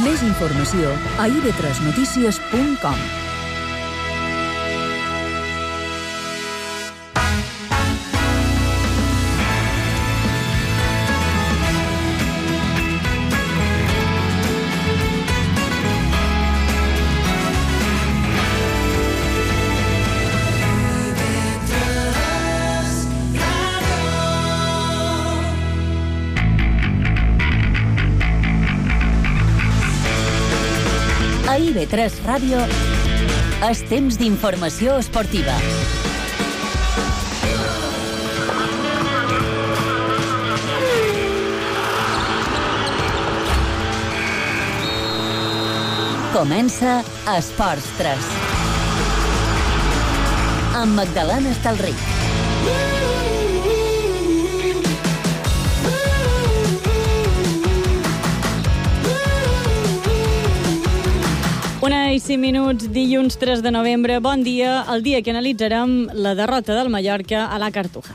Més informació a ib3notícies.com. A IB3 Ràdio és temps d'informació esportiva. Comença Esports 3. Amb Magdalena Estalric. Una i 5 minuts, dilluns 3 de novembre. Bon dia, el dia que analitzarem la derrota del Mallorca a la Cartuja.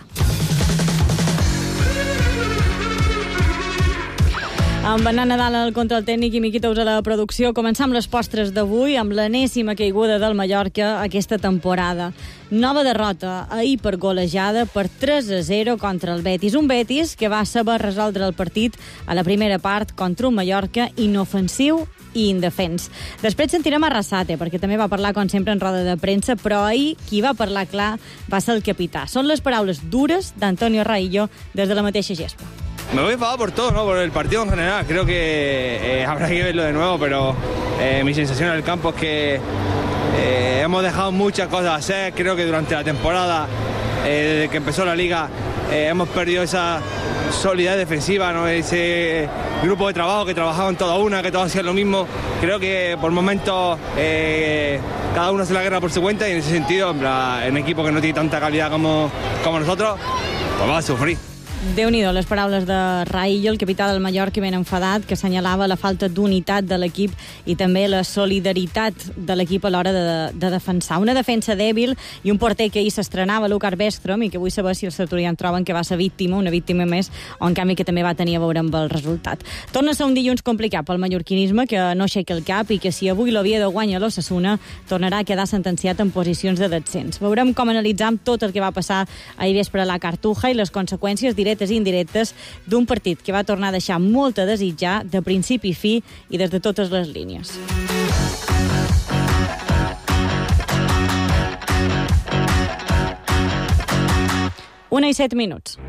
Amb Bernat Nadal al control tècnic i Miqui Tous a la producció, començam les postres d'avui amb l'enèsima caiguda del Mallorca aquesta temporada. Nova derrota ahir per golejada per 3-0 contra el Betis. Un Betis que va saber resoldre el partit a la primera part contra un Mallorca inofensiu i indefens. Després sentirem a Arrasate, perquè també va parlar, com sempre, en roda de premsa, però ahir qui va parlar clar va ser el capità. Són les paraules dures d'Antonio Raillo des de la mateixa gespa. Me voy enfadado por todo, ¿no? Por el partido en general. Creo que habrá que verlo de nuevo, pero mi sensación en el campo es que hemos dejado muchas cosas a hacer. Creo que durante la temporada, desde que empezó la liga, hemos perdido esa solidez defensiva, ¿no? Ese grupo de trabajo que trabajaban toda una, que todos hacían lo mismo. Creo que por momentos cada uno hace la guerra por su cuenta, y en ese sentido, en un equipo que no tiene tanta calidad como nosotros, pues va a sufrir. Déu-n'hi-do, les paraules de Raillo, el capità del Mallorca, ben enfadat, que assenyalava la falta d'unitat de l'equip i també la solidaritat de l'equip a l'hora de defensar. Una defensa dèbil i un porter que ahir s'estrenava, Lucar Bestrom, i que vull saber si els tertulians troben que va ser víctima, una víctima més, o en canvi que també va tenir a veure amb el resultat. Torna a ser un dilluns complicat pel mallorquinisme, que no aixeca el cap i que si avui l'Oviedo guanya l'Osasuna, tornarà a quedar sentenciat en posicions de descens. Veurem com analitzam tot el que va passar ahir vespre a la Cartuja i les conseqüències directes i indirectes d'un partit que va tornar a deixar molt a desitjar de principi i fi i des de totes les línies. Una i 7 minuts.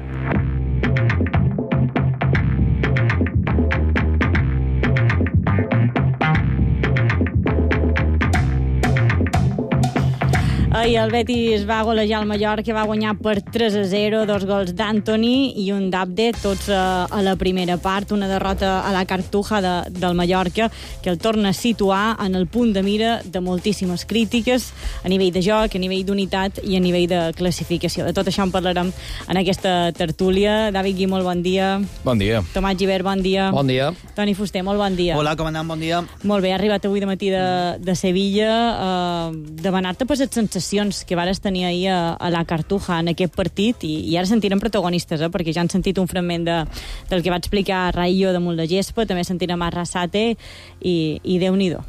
Ahir el Betis va golejar el Mallorca, va guanyar per 3-0, 2 gols d'Antoni i un d'Abde, tots a la primera part. Una derrota a la Cartuja del Mallorca que el torna a situar en el punt de mira de moltíssimes crítiques a nivell de joc, a nivell d'unitat i a nivell de classificació. De tot això en parlarem en aquesta tertúlia. David Gui, molt bon dia. Bon dia. Tomàs Gibert, bon dia. Bon dia. Toni Fuster, molt bon dia. Hola, comandant, bon dia. Molt bé, ha arribat avui de matí de Sevilla. Demanar-te per les sensacions que vares tenir ahir a la Cartuja en aquest partit, i ara sentirem protagonistes, perquè ja han sentit un fragment del que va explicar Raillo damunt la gespa, també sentirem a Arrasate i Déu-n'hi-do.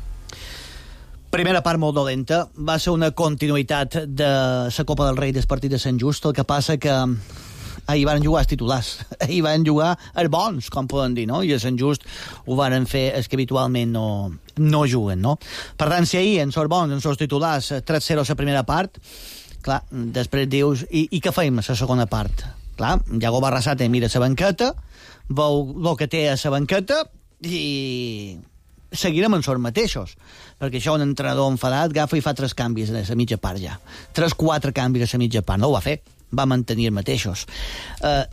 Primera part molt dolenta, va ser una continuïtat de la Copa del Rei del partit de Sant Just, el que passa que ahir van jugar els titulars, ahir van jugar els bons, com poden dir, no? I a Sant Just ho van fer els que habitualment no juguen, no? Per tant, si ahir en els bons, en els titulars, 3-0 a la primera part, clar, després dius, i què feim a la segona part? Clar, Iago Arrasate mira la banqueta, veu el que té a la banqueta i seguirem en els mateixos, perquè això un entrenador enfadat agafa i fa 3 canvis a la mitja part ja. 3-4 canvis a la mitja part, no ho va fer, va mantenir els mateixos.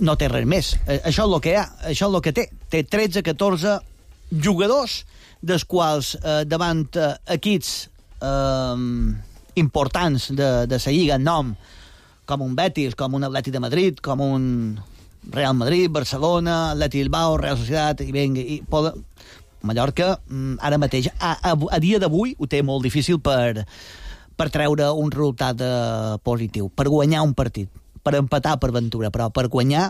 No té res més. Això és el que hi ha, això és el que té. Té 13-14 jugadors, dels quals davant equips importants de la Lliga en nom, com un Betis, com un Atlètic de Madrid, com un Real Madrid, Barcelona, Atlètic Bilbao, Real Societat, i Mallorca, ara mateix, a dia d'avui, ho té molt difícil per treure un resultat positiu, per guanyar un partit, per empatar per Ventura, però per guanyar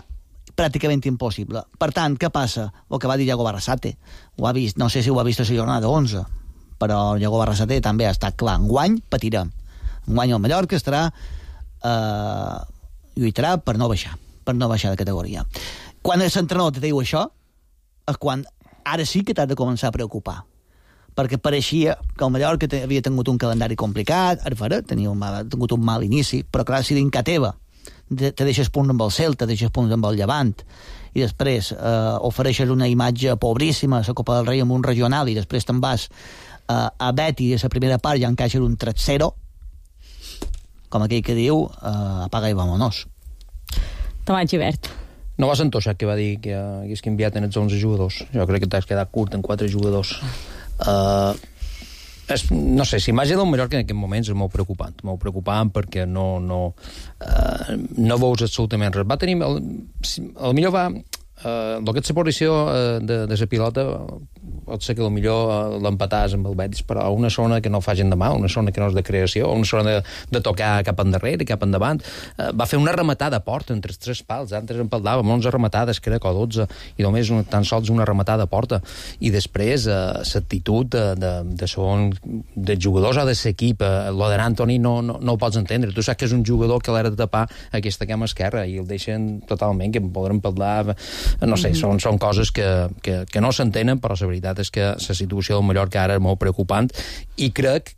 pràcticament impossible. Per tant, què passa? El que va dir Iago Barrasate. Ho ha vist, no sé si ho ha vist a la jornada 11, però Iago Barrasate també ha estat clar. Enguany patirem. Enguany el Mallorca estarà lluitarà per no baixar de categoria. Quan l'entrenador te diu això, és quan ara sí que t'has de començar a preocupar, perquè pareixia que el Mallorca havia tingut un calendari complicat, ara tenia tingut un mal inici, però clar, si dinca teva te deixes punts amb el Celta, te deixes punts amb el Llevant, i després ofereixes una imatge pobríssima a la Copa del Rei amb un regional, i després te'n vas a Betis, a la primera part ja encaixes un 3-0, com aquell que diu, apaga i vámonos. Tomàs Gibert. No vas entoixar que va dir que hagués canviat en els 11 jugadors. Jo crec que t'has quedat curt en 4 jugadors. No sé, si imatge del Mallorca en aquest moment és molt preocupant perquè no veus absolutament res. Va tenir, potser va el que és la posició de la pilota pot ser que potser l'empatàs amb el Betis, però a una zona que no fa gent de mà, una zona que no és de creació, una zona de tocar cap endarrere, cap endavant. Va fer una rematada a porta entre els 3 pals, antes empaldàvem 11 rematades, crec, o 12, i només tan sols una rematada a porta. I després l'actitud dels jugadors o de l'equip, lo de Antoni no ho pots entendre. Tu saps que és un jugador que l'ha de tapar aquesta cama esquerra i el deixen totalment, que podrem parlar, no sé, són coses que no s'entenen, però la veritat és que la situació del Mallorca ara és molt preocupant i crec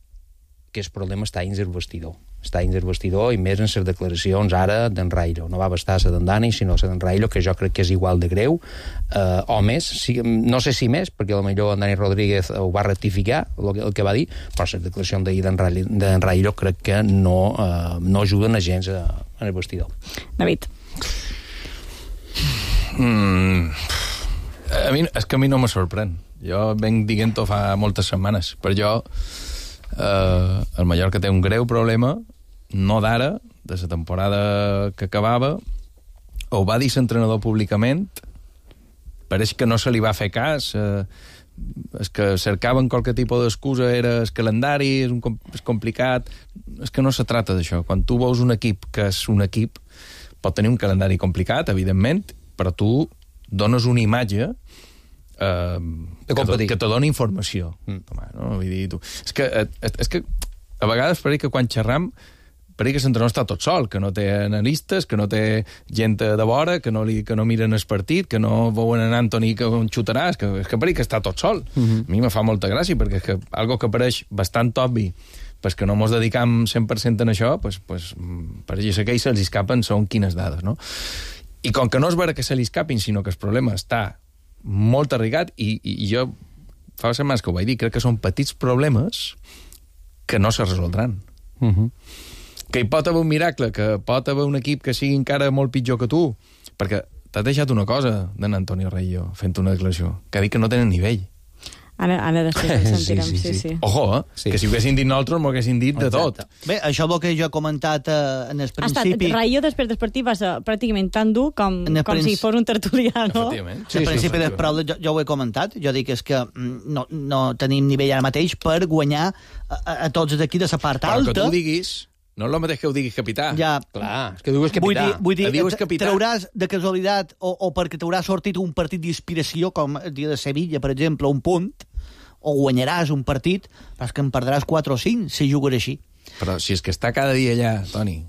que el problema està dins el vestidor. Està dins el vestidor i més en les declaracions ara d'en Railo. No va bastar la d'en Dani, sinó la d'en Railo, que jo crec que és igual de greu, o més, no sé si més, perquè potser en Dani Rodríguez ho va rectificar, el que va dir, però les declaracions d'ahir d'en Railo crec que no ajuden a gens en el vestidor. David. És que a mi no me sorprèn. Jo venc dient-ho fa moltes setmanes. Per jo, el Mallorca té un greu problema, no d'ara, de la temporada que acabava. Ho va dir l'entrenador públicament, pareix que no se li va fer cas, és que cercaven qualque tipus d'excusa, era el calendari, és complicat. És que no se trata d'això. Quan tu veus un equip que és un equip, pot tenir un calendari complicat, evidentment, però tu dones una imatge que te dona informació. No? Vull dir, és que a vegades pareix que quan xerram pareix que l'entrenador està tot sol, que no té analistes, que no té gent de vora, que no miren el partit, que no veuen en Antoni que on xutarà, és que pareix que està tot sol. A mi me fa molta gràcia, perquè és que algo que pareix bastant obvi, pues que no mos dedicam 100% en això, pues pareix que se'ls escapen són quines dades, no? I com que no és vera que se li escapin, sinó que el problema està molt arraigat, i jo fa setmanes que ho vaig dir, crec que són petits problemes que no se resoldran. Que hi pot haver un miracle, que pot haver un equip que sigui encara molt pitjor que tu, perquè t'has deixat una cosa d'en Antonio Reillo fent una declaració, que ha dit que no tenen nivell. Ara després el sentirem, sí. Ojo, que si ho haguessin dit nosaltres, m'ho haguessin dit de tot. Bé, això és el que jo he comentat en el principi. Raillo després del partit va ser pràcticament tan dur com si fos un tertuliano. Efectivament. Al principi del partit jo ho he comentat. Jo dic és que no tenim nivell ara mateix per guanyar a tots d'aquí de la part alta. Però que tu diguis... No és el mateix que ho diguis capità. Ja. Clar, és que dius capità. Vull dir trauràs de casualitat o perquè t'haurà sortit un partit d'inspiració, com el dia de Sevilla, per exemple, un punt, o guanyaràs un partit, però és que en perdràs 4 o 5 si jugues així. Però si és que està cada dia allà, Toni,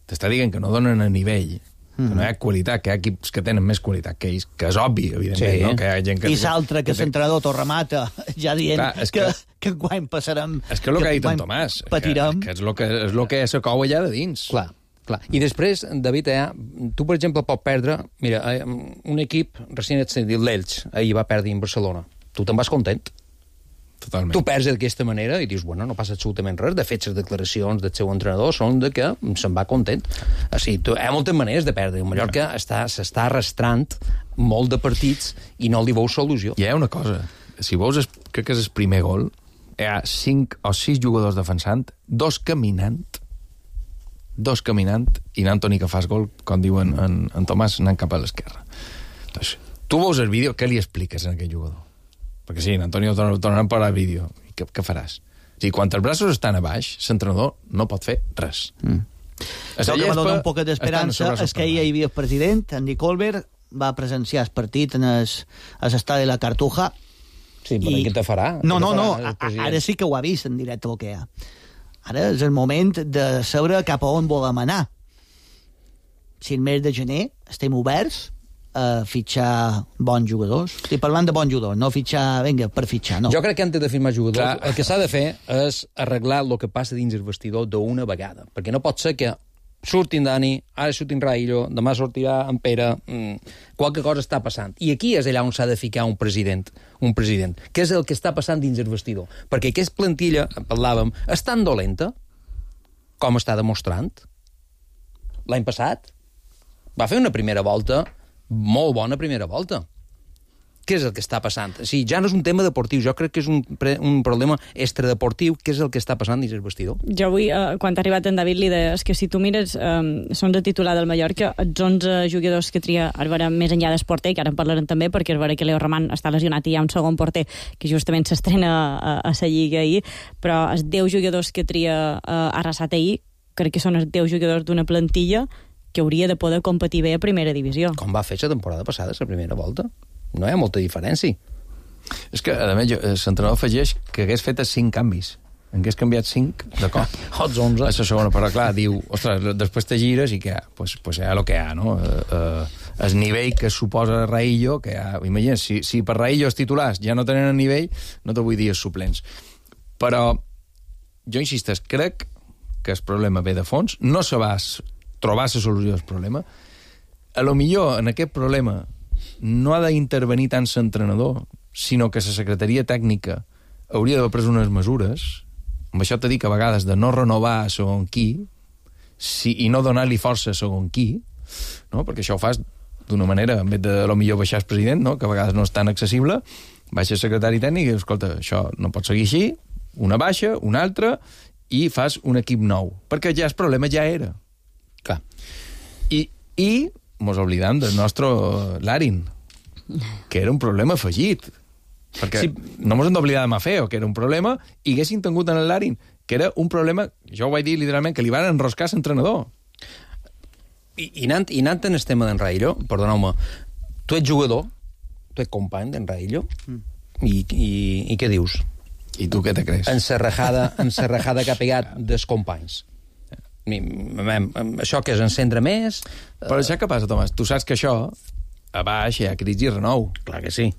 t'està dient que no donen a nivell, que no hi ha qualitat, que hi ha equips que tenen més qualitat que ells, que és obvi, evidentment, no? Que hi ha gent que... I l'altre, que l'entrenador t'ho remata, ja dient que quan passarem... És que és el que ha dit en Tomàs, patirem. Que és el que se cou allà de dins. Clar. I després, David, tu, per exemple, pots perdre... Mira, un equip recient dit l'Elx, ahir va perdre en Barcelona. Tu te'n vas content. Totalment. Tu perds d'aquesta manera i dius, bueno, no passa absolutament res. De fet, les declaracions del seu entrenador són de que se'n va content. O sigui, hi ha moltes maneres de perdre. El Mallorca s'està arrastrant molt de partits i no li veus solució. Hi ha una cosa. Si veus, crec que és el primer gol, hi ha 5 o 6 jugadors defensant, 2 caminant, i n'Antoni que fas gol, com diuen en Tomàs, anant cap a l'esquerra. Doncs, tu veus el vídeo, què li expliques a aquest jugador? Perquè sí, Antonio tornarà per al vídeo. I què faràs? O sigui, quan els braços estan a baix, l'entrenador no pot fer res. El que m'ha donat un poc d'esperança és que ahir hi havia el president, Andy Colbert, va presenciar el partit a l'estadi de la Cartuja. Sí, però què te farà? No, ara sí que ho ha vist en directe el que hi ha. Ara és el moment de saber cap a on volem anar. Si el mes de gener estem oberts a fitxar bons jugadors. Estic parlant de bons jugadors, no fitxar, vinga, per fitxar, no. Jo crec que antes de firmar jugadors, el que s'ha de fer és arreglar el que passa dins el vestidor d'una vegada. Perquè no pot ser que surtin Dani, ara surtin Raillo, demà sortirà en Pere, qualque cosa està passant. I aquí és allà on s'ha de ficar un president. Què és el que està passant dins el vestidor? Perquè aquesta plantilla, parlàvem, és tan dolenta com està demostrant. L'any passat va fer una primera volta, molt bona primera volta. Què és el que està passant? Sí, ja no és un tema deportiu, jo crec que és un problema extradeportiu. Què és el que està passant dins el vestidor? Jo avui, quan ha arribat en David, li deia que si tu mires, són de titular del Mallorca, els 11 jugadors que tria Arbara més enllà del porter, que ara en parlarem també, perquè Arbara que Leo Roman està lesionat i hi ha un segon porter que justament s'estrena a la Lliga ahir, però els 10 jugadors que tria Arrasat ahir, crec que són els 10 jugadors d'una plantilla que hauria de poder competir bé a primera divisió. Com va fer la temporada passada, la primera volta? No hi ha molta diferència. És que, a més, l'entrenador afegeix que hagués fet 5 canvis. En hagués canviat 5 de cop. Els 11. A la segona, però clar, diu, ostres, després te gires i què? Pues hi ha el que hi ha, no? El nivell que suposa Raillo, que hi ha... Imagina't, si per Raillo els titulars ja no tenen el nivell, no te vull dir els suplents. Però, jo insisteix, crec que el problema ve de fons, no se va trobar la solució del problema. A lo millor en aquest problema no ha d'intervenir tant l'entrenador, sinó que la secretaria tècnica hauria d'haver pres unes mesures, amb això t'he dit que a vegades de no renovar a segon qui, i no donar-li força a segon qui, no? Perquè això ho fas d'una manera, en vez de a lo millor baixar el president, no? Que a vegades no és tan accessible, baixa el secretari tècnic i dius, escolta, això no pot seguir així, una baixa, una altra, i fas un equip nou. Perquè ja el problema ja era. Clar. I mos oblidam del nostre Larin, que era un problema afegit. Perquè no mos hem d'oblidar de Mafeo, que era un problema, i haguessin tingut en el Larin, que era un problema, jo ho vaig dir literalment, que li van enroscar l'entrenador. I anant en el tema d'en Raillo, perdoneu-me, tu ets jugador, tu ets company d'en Raillo, i què dius? I tu què te creus? Encerrajada que ha pegat dels companys. Això que és encendre més... Però això què passa, Tomàs? Tu saps que això, a baix hi ha crits i renou. Clar que sí.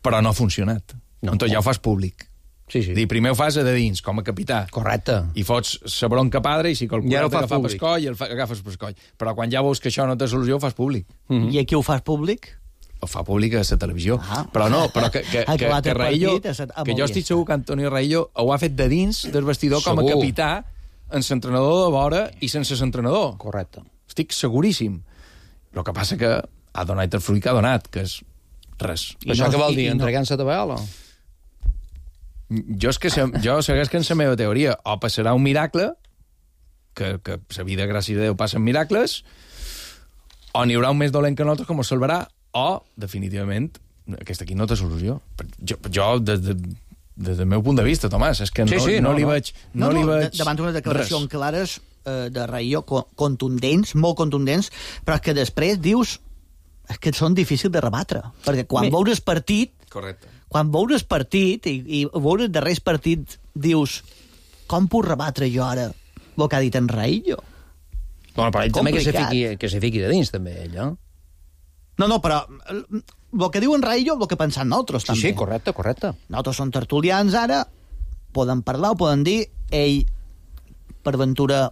Però no ha funcionat. No. Entonces ja ho fas públic. Sí. Primer ho fas a de dins, com a capità. Correcte. I fots la bronca padre i si calcules agafar pescoll, agafes pescoll. Però quan ja veus que això no té solució, ho fas públic. I aquí ho fas públic? Ho fa públic a la televisió. Però que Raillo, que jo estic segur que Antonio Raillo ho ha fet de dins del vestidor com a capità, en l'entrenador de vora i sense l'entrenador. Correcte. Estic seguríssim. El que passa que ha donat el fruit que ha donat, que és res. Això què vol dir? Entregant-se a tabaola? Jo segueix que en la meva teoria o passarà un miracle, que la vida, gràcies a Déu, passen miracles, o n'hi haurà un més dolent que nosaltres com ho salvarà, o, definitivament, aquest aquí no té solució. Jo des del meu punt de vista, Tomàs, és que no li veig... Davant d'unes declaracions clares de Raillo, contundents, molt contundents, però que després dius que són difícils de rebatre, perquè quan veus partit... Correcte. Quan veus partit i veus el darrer partit, dius, com puc rebatre jo ara el que ha dit en Raillo? Bueno, però ell també que se fiqui de dins, també, ell, eh? No, però el que diu en Raillo, el que pensem nosaltres, també. Sí, correcte. Nosaltres som tertulians ara, poden parlar, ho poden dir, ell, per ventura,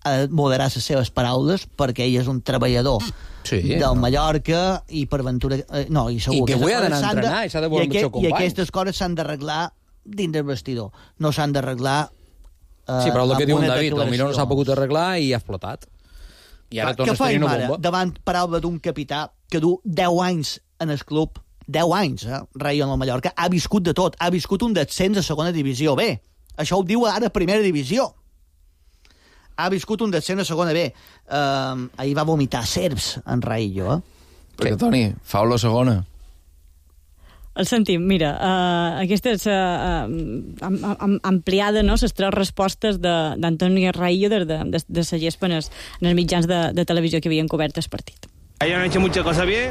ha de moderar les seves paraules, perquè ell és un treballador del Mallorca, i per ventura... I segur que avui ha d'anar a entrenar, i s'ha de veure amb el seu company. I aquestes coses s'han d'arreglar dins del vestidor, no s'han d'arreglar sí, però el que diu en David, potser no s'ha pogut arreglar i ha explotat. I ara tornes a tenir una bomba. Davant paraula d'un capità que du 10 anys en el club, 10 anys, Raillo en el Mallorca, ha viscut de tot, ha viscut un descens a segona divisió B. Això ho diu ara primera divisió. Ha viscut un descens a segona B. Ahir va vomitar serps en Raillo, Perquè, Toni, fa-ho la segona. El sentim, mira, aquesta és ampliada, no?, les 3 respostes d'Antonio Raillo des de la gespa en els mitjans de televisió que havien cobert el partit. Ellos han hecho muchas cosas bien,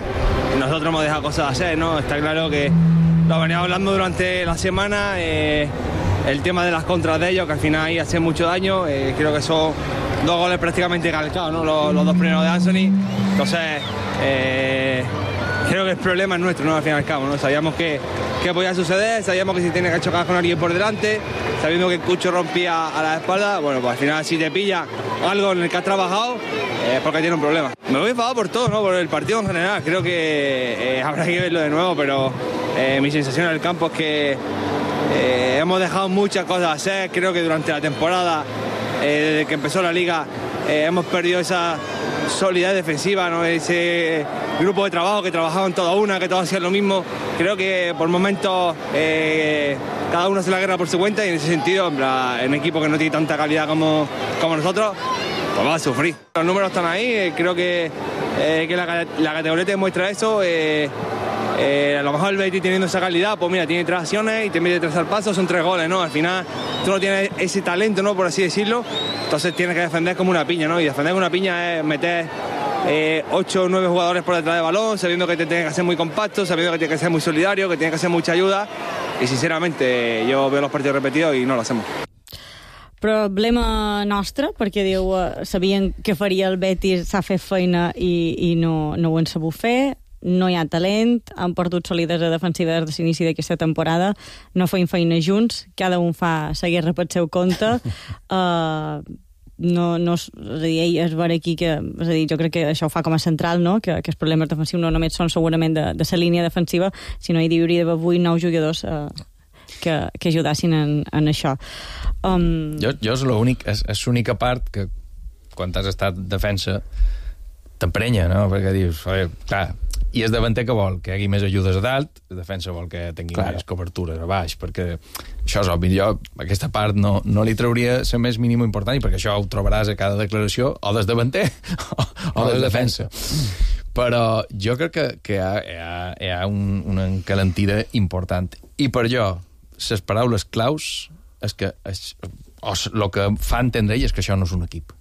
nosotros hemos dejado cosas de hacer, ¿no? Está claro que lo veníamos hablando durante la semana, el tema de las contras de ellos, que al final ahí hacen mucho daño, creo que son 2 goles prácticamente calcados, ¿no? Los 2 primeros de Anthony, entonces creo que el problema es nuestro, ¿no? Al fin y al cabo, ¿no? Sabíamos que podía suceder, sabíamos que si tiene que chocar con alguien por delante, sabiendo que el Cucho rompía a la espalda, bueno, pues al final si te pilla algo en el que has trabajado, es porque tiene un problema. Me voy enfadado por todo, ¿no? Por el partido en general, creo que habrá que verlo de nuevo, pero mi sensación en el campo es que hemos dejado muchas cosas hacer, creo que durante la temporada, desde que empezó la liga, hemos perdido esa solidez defensiva, ¿no? Ese grupo de trabajo que trabajaban toda una, que todos hacían lo mismo. Creo que por momentos cada uno hace la guerra por su cuenta y en ese sentido, en un equipo que no tiene tanta calidad como nosotros, pues va a sufrir. Los números están ahí, creo que la categoría te demuestra eso. A lo mejor el Betis teniendo esa calidad, pues mira, tiene 3 acciones y te mete 3 al paso, son 3 goles, ¿no? Al final tú no tienes ese talento, ¿no? Por así decirlo, entonces tienes que defender como una piña, ¿no? Y defender como una piña es meter 8 o 9 jugadores por detrás del balón, sabiendo que te tienes que ser muy compacto, sabiendo que tienes que ser muy solidario, que tienes que hacer mucha ayuda, y sinceramente yo veo los partidos repetidos y no lo hacemos. Problema nostre, perquè diu sabien que faria el Betis, s'ha fet feina i no ho han sabut fer, no hi ha talent, han perdut solidesa defensiva des de l'inici d'aquesta temporada, no feim feina junts, cada un fa la guerra pel seu compte, és a dir, ell es veure aquí que, és a dir, jo crec que això ho fa com a central, no? Que els problemes defensius no només són segurament de la línia defensiva, sinó hi hauria d'haver 8 o 9 jugadors que ajudassin en això. Jo és l'única part que quan has estat defensa t'emprenya, no? Perquè dius, clar, i el davanter que vol que hi hagi més ajudes a dalt, el defensa vol que tingui més cobertures a baix, perquè això és obvi. Jo aquesta part no li trauria la més mínima important, i perquè això ho trobaràs a cada declaració o del davanter o del defensa. Però jo crec que hi ha una encalentida important. I per jo, les paraules claus és que el que fa entendre ell és que això no és un equip.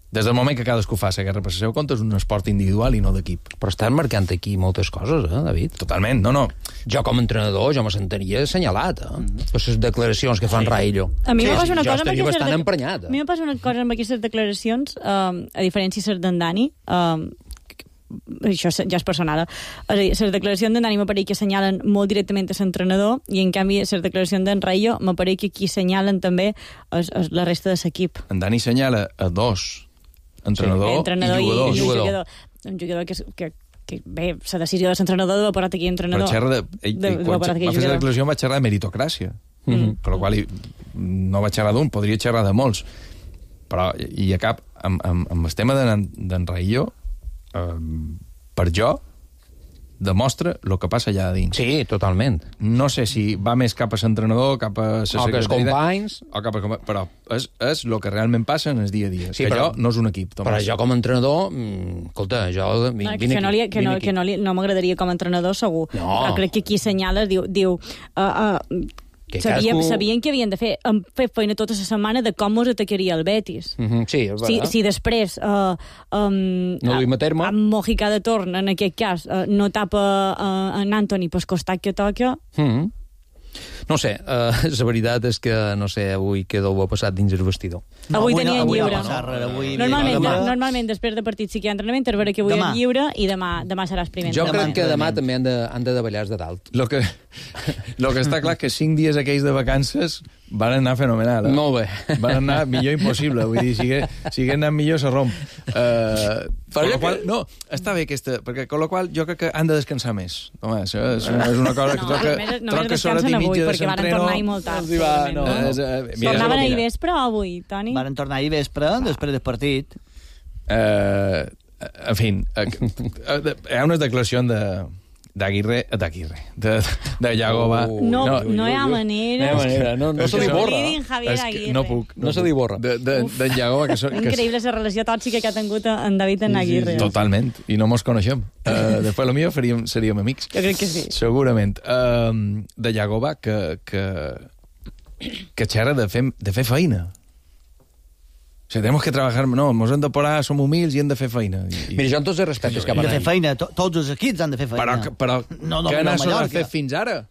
Des del moment que cadascú fa la guerra per el seu compte, és un esport individual i no d'equip. Però estan marcant aquí moltes coses, David? Totalment, no. Jo com a entrenador, jo me sentiria assenyalat, per les declaracions que fan Raillo. A mi me passa una cosa amb estaria bastant emprenyat. A mi me passa una cosa amb aquestes declaracions, a diferència de d'en Dani, això ja és personal, les declaracions d'en Dani m'apareix que assenyalen molt directament a l'entrenador, i en canvi les declaracions d'en Raillo m'apareix que aquí assenyalen també la resta de l'equip. En Dani assenyala a 2, entrenador i jugador. Un jugador que bé, la decisió de l'entrenador de l'apparat aquí entrenador. Però quan va fer la declaració va xerrar de meritocràcia, per la qual no va xerrar d'un, podria xerrar de molts. Però i a cap, amb el tema d'en Raillo, per jo demostra el que passa allà dins. Sí, totalment. No sé si va més cap a l'entrenador, cap a la secretariat, companys, però és el que realment passa en el dia a dia. Sí, que allò no és un equip, Tomàs. Però jo com a entrenador, escolta, jo no m'agradaria com a entrenador, segur. No. Però crec que aquí assenyala, diu sabien que havien de fer feina tota la setmana de com us atacaria el Betis. Sí, és veritat. Si després no duim a terme, amb Mojica de torn, en aquest cas, no tapa en Anthony pel costat que toca. No sé, la veritat és que, no sé, avui què deu haver passat dins el vestidor. Avui tenien lliure. Normalment després de partit sí que hi ha entrenament, és vera que avui és lliure i demà seràs primer. Jo crec que demà també han de davallar de dalt. Lo que està clar que 5 dies aquells de vacances van anar fenomenal. Molt bé. Van anar millor impossible. Vull dir, si hagués anat millor se romp. No, està bé aquesta, perquè con la qual jo crec que han de descansar més. Home, això és una cosa que només descansen avui, perquè van tornar ahir molt tard. Tornaven ahir vespre o avui, Toni? Van tornar ahir vespre, després del partit. En fi, hi ha unes declaracions d'Aguirre, de Yagoba. No hi ha manera. No se li borra. No puc. No se li borra. D'en Yagoba, que són... Increïble la relació tòxica que ha tingut en David en Aguirre. Totalment, i no mos coneixem. Després, potser seríem amics. Jo crec que sí. Segurament. De Yagoba, que xerra de fer feina. O sigui, tenemos que trabajar... No, ens hem de parar, som humils i hem de fer feina. Mira, jo amb tots els respectes cap Hem a de fer feina, tots els equips han de fer feina. Però no, què n'has Mallorca. fet fins ara?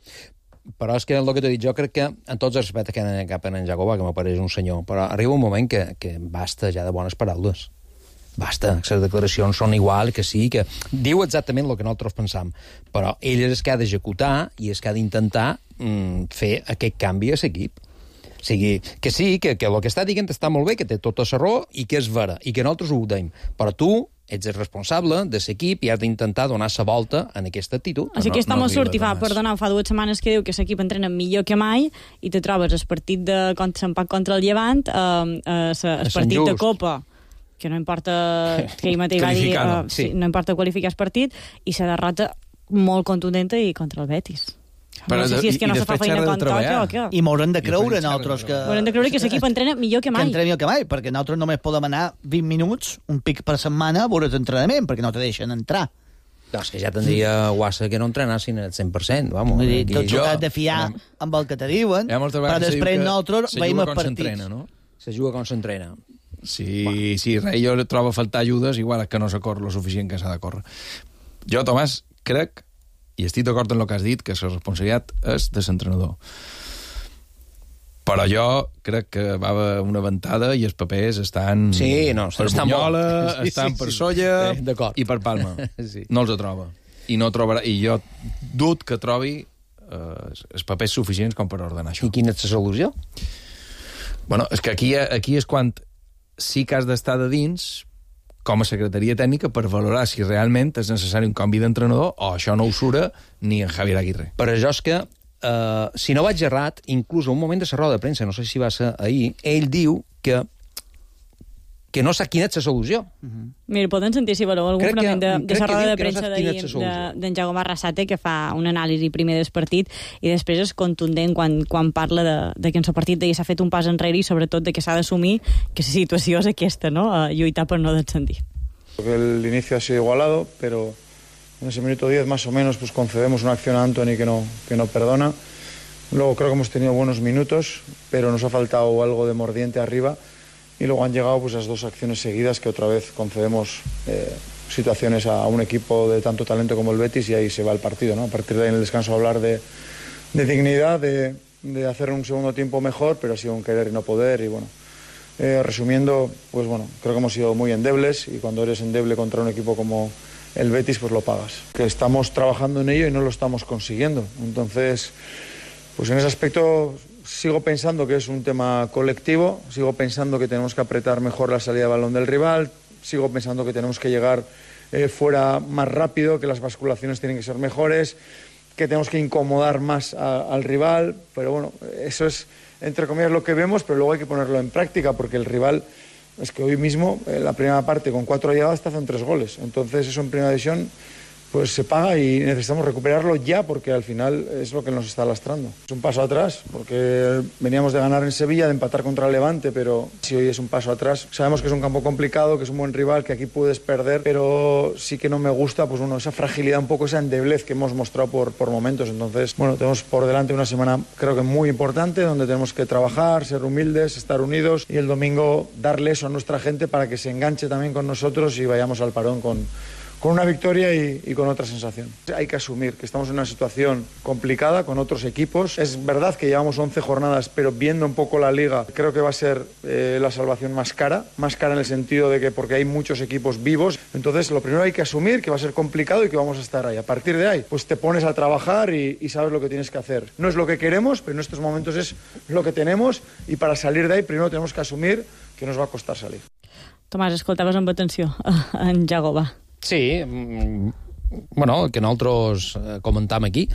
Però és que el que t'he dit jo, crec que en tots els respectes que anem cap a en Jacoba, que m'apareix un senyor, però arriba un moment que basta ja de bones paraules. Basta, les declaracions són igual, que sí, que diu exactament el que nosaltres pensam, però ell és que ha d'executar i és que ha d'intentar fer aquest canvi a l'equip. O sigui, que sí, que el que està dient està molt bé, que té tota la raó i que és vera, i que nosaltres ho deim. Però tu ets el responsable de l'equip i has d'intentar donar la volta en aquesta actitud. Així que estamos surt i fa 2 setmanes que diu que l'equip entrena millor que mai i te trobes el partit de s'empat contra el Llevant, el partit de Copa, que no importa que ell mateix va dir, sí, no importa qualificar el partit, i la derrota molt contundenta i contra el Betis. Però, no sé si és que no se fa feina con toca o què. I m'haurem de creure nosaltres que... M'haurem de creure que l'equip entrena millor que mai. Que entrena millor que mai, perquè nosaltres només podem anar 20 minuts, un pic per setmana, a veure l'entrenament, perquè no te deixen entrar. Doncs que ja tindria guassa que no entrenassin al 100%, vamos. Vull dir, tots t'has de fiar amb el que te diuen, però després nosaltres veiem els partits. No? Se juga com s'entrena. Sí, res, jo trobo a faltar ajudes, igual que no se corre lo suficient que s'ha de córrer. Jo, Tomàs, crec, i estic d'acord en el que has dit, que la responsabilitat és de l'entrenador. Però jo crec que va haver una ventada i els papers estan per Bunyola, estan per Solla i per Palma. No els troba. I no trobarà. I jo dubto que trobi els papers suficients com per ordenar això. I quina és la solució? Bueno, és que aquí és quan sí que has d'estar de dins com a secretaria tècnica per valorar si realment és necessari un canvi d'entrenador o això no ho sura ni en Javier Aguirre. Però jo és que, si no vaig errat, inclús a un moment de la roda de premsa, no sé si va ser ahir, ell diu que no sap quina és la solució. Mira, poden sentir si voleu algun fragment de la roda de premsa d'en Jaume Arrasate, que fa una anàlisi primer del partit i després és contundent quan parla de que en el partit s'ha fet un pas enrere i sobretot de que s'ha d'assumir que la situació és aquesta, no? Lluitar per no descendir. El inicio ha sido igualado, pero en ese minuto 10 más o menos pues concedemos una acción a Antony que no perdona. Luego creo que hemos tenido buenos minutos, pero nos ha faltado algo de mordiente arriba. Y luego han llegado pues las 2 acciones seguidas que otra vez concedemos situaciones a un equipo de tanto talento como el Betis y ahí se va el partido, ¿no? A partir de ahí en el descanso hablar de dignidad, de hacer un segundo tiempo mejor, pero ha sido un querer y no poder. Y bueno, resumiendo, pues bueno, creo que hemos sido muy endebles y cuando eres endeble contra un equipo como el Betis, pues lo pagas. Que estamos trabajando en ello y no lo estamos consiguiendo. Entonces, pues en ese aspecto sigo pensando que es un tema colectivo, sigo pensando que tenemos que apretar mejor la salida de balón del rival, sigo pensando que tenemos que llegar fuera más rápido, que las basculaciones tienen que ser mejores, que tenemos que incomodar más al rival, pero bueno, eso es entre comillas lo que vemos, pero luego hay que ponerlo en práctica porque el rival, es que hoy mismo, la primera parte con 4 llegadas te hacen 3 goles, entonces eso en primera división pues se paga y necesitamos recuperarlo ya porque al final es lo que nos está lastrando. Es un paso atrás porque veníamos de ganar en Sevilla, de empatar contra el Levante, pero si hoy es un paso atrás, sabemos que es un campo complicado, que es un buen rival, que aquí puedes perder, pero sí que no me gusta pues bueno, esa fragilidad, un poco esa endeblez que hemos mostrado por momentos. Entonces, bueno, tenemos por delante una semana creo que muy importante donde tenemos que trabajar, ser humildes, estar unidos y el domingo darle eso a nuestra gente para que se enganche también con nosotros y vayamos al parón con una victoria y con otra sensación. Hay que asumir que estamos en una situación complicada con otros equipos. Es verdad que llevamos 11 jornadas, pero viendo un poco la liga, creo que va a ser la salvación más cara en el sentido de que porque hay muchos equipos vivos. Entonces, lo primero hay que asumir que va a ser complicado y que vamos a estar ahí. A partir de ahí, pues te pones a trabajar y sabes lo que tienes que hacer. No es lo que queremos, pero en estos momentos es lo que tenemos y para salir de ahí primero tenemos que asumir que nos va a costar salir. Tomàs, escoltaves amb atenció en Jagoba. Sí, bueno, el que nosaltres comentam aquí,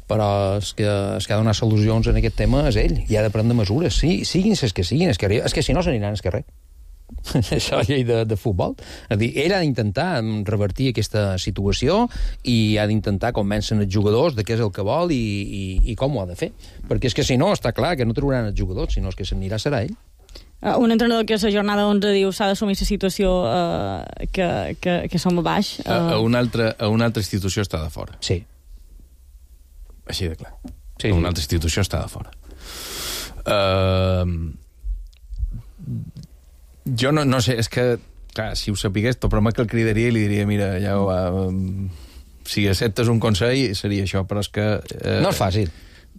però és que ha de donar solucions en aquest tema és ell, i ha de prendre mesures, sí, siguin les que siguin, és que si no s'aniran al carrer. Això és llei de futbol. És dir, ell ha d'intentar revertir aquesta situació i ha d'intentar convèncer els jugadors de què és el que vol i com ho ha de fer. Perquè és que si no, està clar que no trobaran els jugadors, sinó que s'anirà serà ell. Un entrenador que a la jornada 11 diu s'ha d'assumir la situació que som a baix. A una altra institució està de fora. Sí. Així de clar. Sí. Una altra institució està de fora. Jo no sé, és que, clar, si ho sapigués, tot problema que el cridaria i li diria, mira, ja ho va... Si acceptes un consell, seria això, però és que... No és fàcil.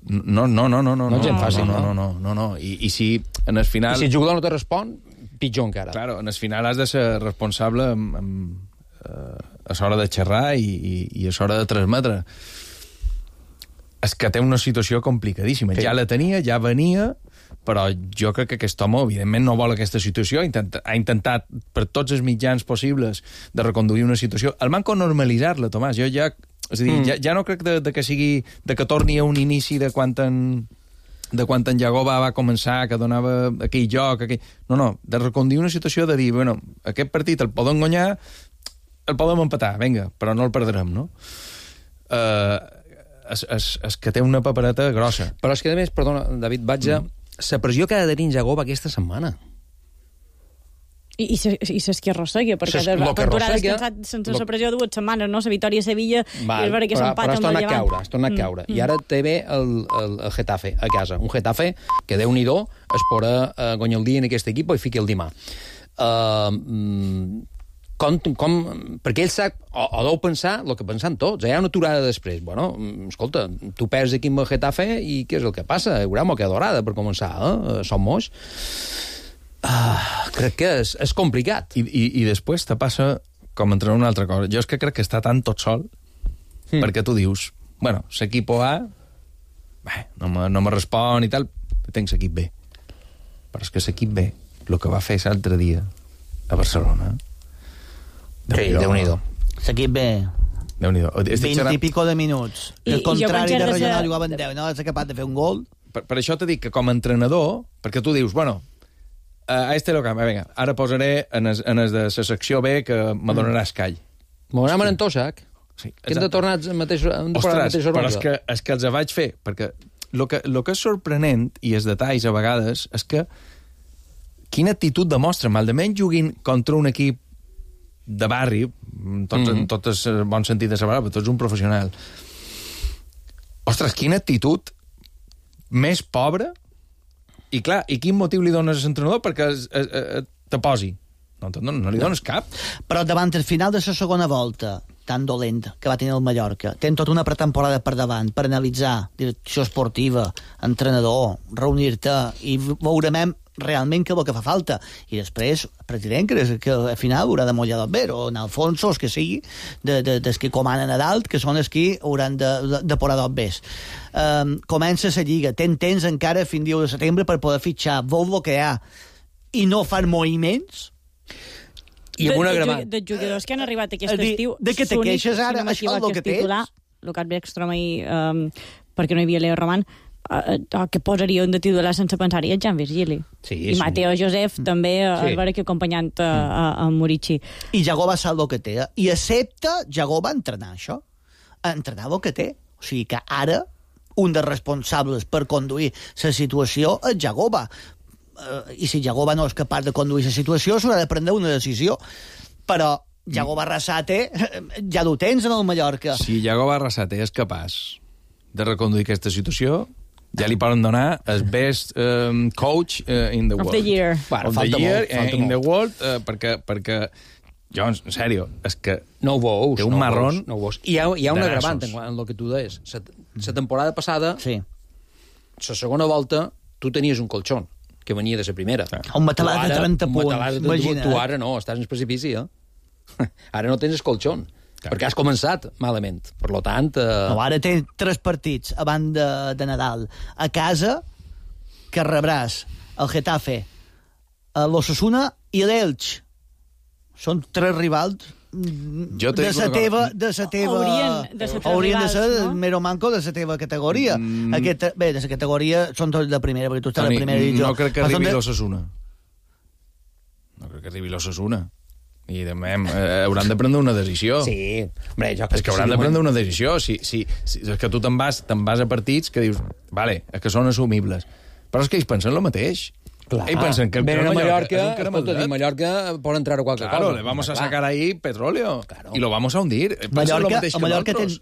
No. No és gens fàcil, no. I si en el final... I si el jugador no te respon, pitjor encara. Claro, en el final has de ser responsable a l'hora de xerrar i a l'hora de transmetre. És que té una situació complicadíssima. Sí. Ja la tenia, ja venia, però jo crec que aquest home, evidentment, no vol aquesta situació. Ha intentat, per tots els mitjans possibles, de reconduir una situació. El manco normalitzar-la, Tomàs. Jo ja... És a dir, ja no crec de que sigui... de que torni a un inici de quan en Jagoba va començar, que donava aquell joc... No, de reconduir una situació de dir, bueno, aquest partit el podem guanyar, el podem empatar, vinga, però no el perdrem, no? És que té una papereta grossa. Però és que, a més, perdona, David, vaig a... La pressió que ha de tenir Jagoba aquesta setmana. I saps qui arrossega, perquè quan tu has descansat sense la pressió 2 setmanes, no? La Vitòria a Sevilla, i és vera que s'empata amb el Llevant. Has tornat a caure. I ara té bé el Getafe a casa. Un Getafe que, Déu-n'hi-do, es podrà guanyar el dia en aquest equip i fiqui el dimà. Perquè ell sap, o deu pensar el que pensant tots, hi ha una aturada després. Bueno, escolta, tu perds aquí amb el Getafe i què és el que passa? Hi haurà moca dorada per començar, som moix. Crec que és complicat. I després te passa com entre una altra cosa. Jo és que crec que està tan tot sol perquè tu dius, bueno, l'equip A no me respon i tal, tenc l'equip B. Però és que l'equip B, el que va fer l'altre dia a Barcelona... Déu-n'hi-do. L'equip B... Déu-n'hi-do. 20 i pico de minuts. El contrari de regional jugaven 10, no? És capaç de fer un gol. Per això t'he dit que com a entrenador, perquè tu dius, bueno, a este lo canvi, vinga, ara posaré en el de la secció B que me donarà escall. M'ho anàvem en Tosac. Sí, que hem de tornar al mateix Ostres, però és que els vaig fer, perquè el que és sorprenent, i els detalls a vegades, és que quina actitud demostra, almenys juguin contra un equip de barri, tot és bon sentit de la paraula, però tu ets un professional. Ostres, quina actitud més pobra. I clar, i quin motiu li dones a l'entrenador perquè te posi? No li dones cap. Però davant el final de la segona volta, tan dolent que va tenir el Mallorca, tenen tota una pretemporada per davant, per analitzar direcció esportiva, entrenador, reunir-te i veurem realment què és el que fa falta. I després, president, que al final haurà de mullar del ver, o en Alfonso, els que sigui, dels que comanen a dalt, que són els que hauran de posar dos bes. Comença la Lliga, ten temps encara fins al 1 de setembre per poder fitxar, veus el que hi ha, i no fan moviments... I amb una de jugadors que han arribat aquest estiu... De què te queixes ara? Això és el que tens? Lucas Beckstrom perquè no hi havia Leo Roman, que posaria un de titular sense pensar-hi, el Jan Virgili. Sí, I Mateo Josef també, alhora que acompanyant a Murici. I Jagoba sap el que té. I accepta Jagoba entrenar això. Entrenar el que té. O sigui que ara un dels responsables per conduir la situació és Jagoba. I si Jagoba no és capaç de conduir la situació, s'haurà de prendre una decisió. Però Jagoba Arrasate ja ho tens en el Mallorca. Si Jagoba Arrasate és capaç de reconduir aquesta situació, ja li poden donar el best coach in the world. Of the year. Of the year in the world, perquè jo, en sèrio, és que no ho veus, té un marrón. No ho veus. I hi ha un agravant en el que tu deies. La temporada passada, la segona volta, tu tenies un colxón que venia de la primera. Un matalat de 30 punts. Tu ara no, estàs en el precipici, Ara no tens el colxón, perquè has començat malament. Per lo tant... No, ara tens 3 partits abans de Nadal. A casa, que rebràs el Getafe, l'Osasuna i l'Elx. Són 3 rivals de la teva haurien de ser el mero manco de la teva categoria. De la categoria són tots de primera, perquè tu estàs a la primera divisió. No crec que arribi l'Osasuna. No crec que arribi l'Osasuna. I també hauran de prendre una decisió. Sí, hombre, jo crec que hauran de prendre una decisió. És que tu te'n vas a partits que dius, vale, és que són assumibles. Però és que ells pensen el mateix. Clar. Ells pensen que el Mallorca por entrar a qualque cosa. Claro, le vamos a sacar ahí petróleo. Claro. Y lo vamos a hundir. Mallorca té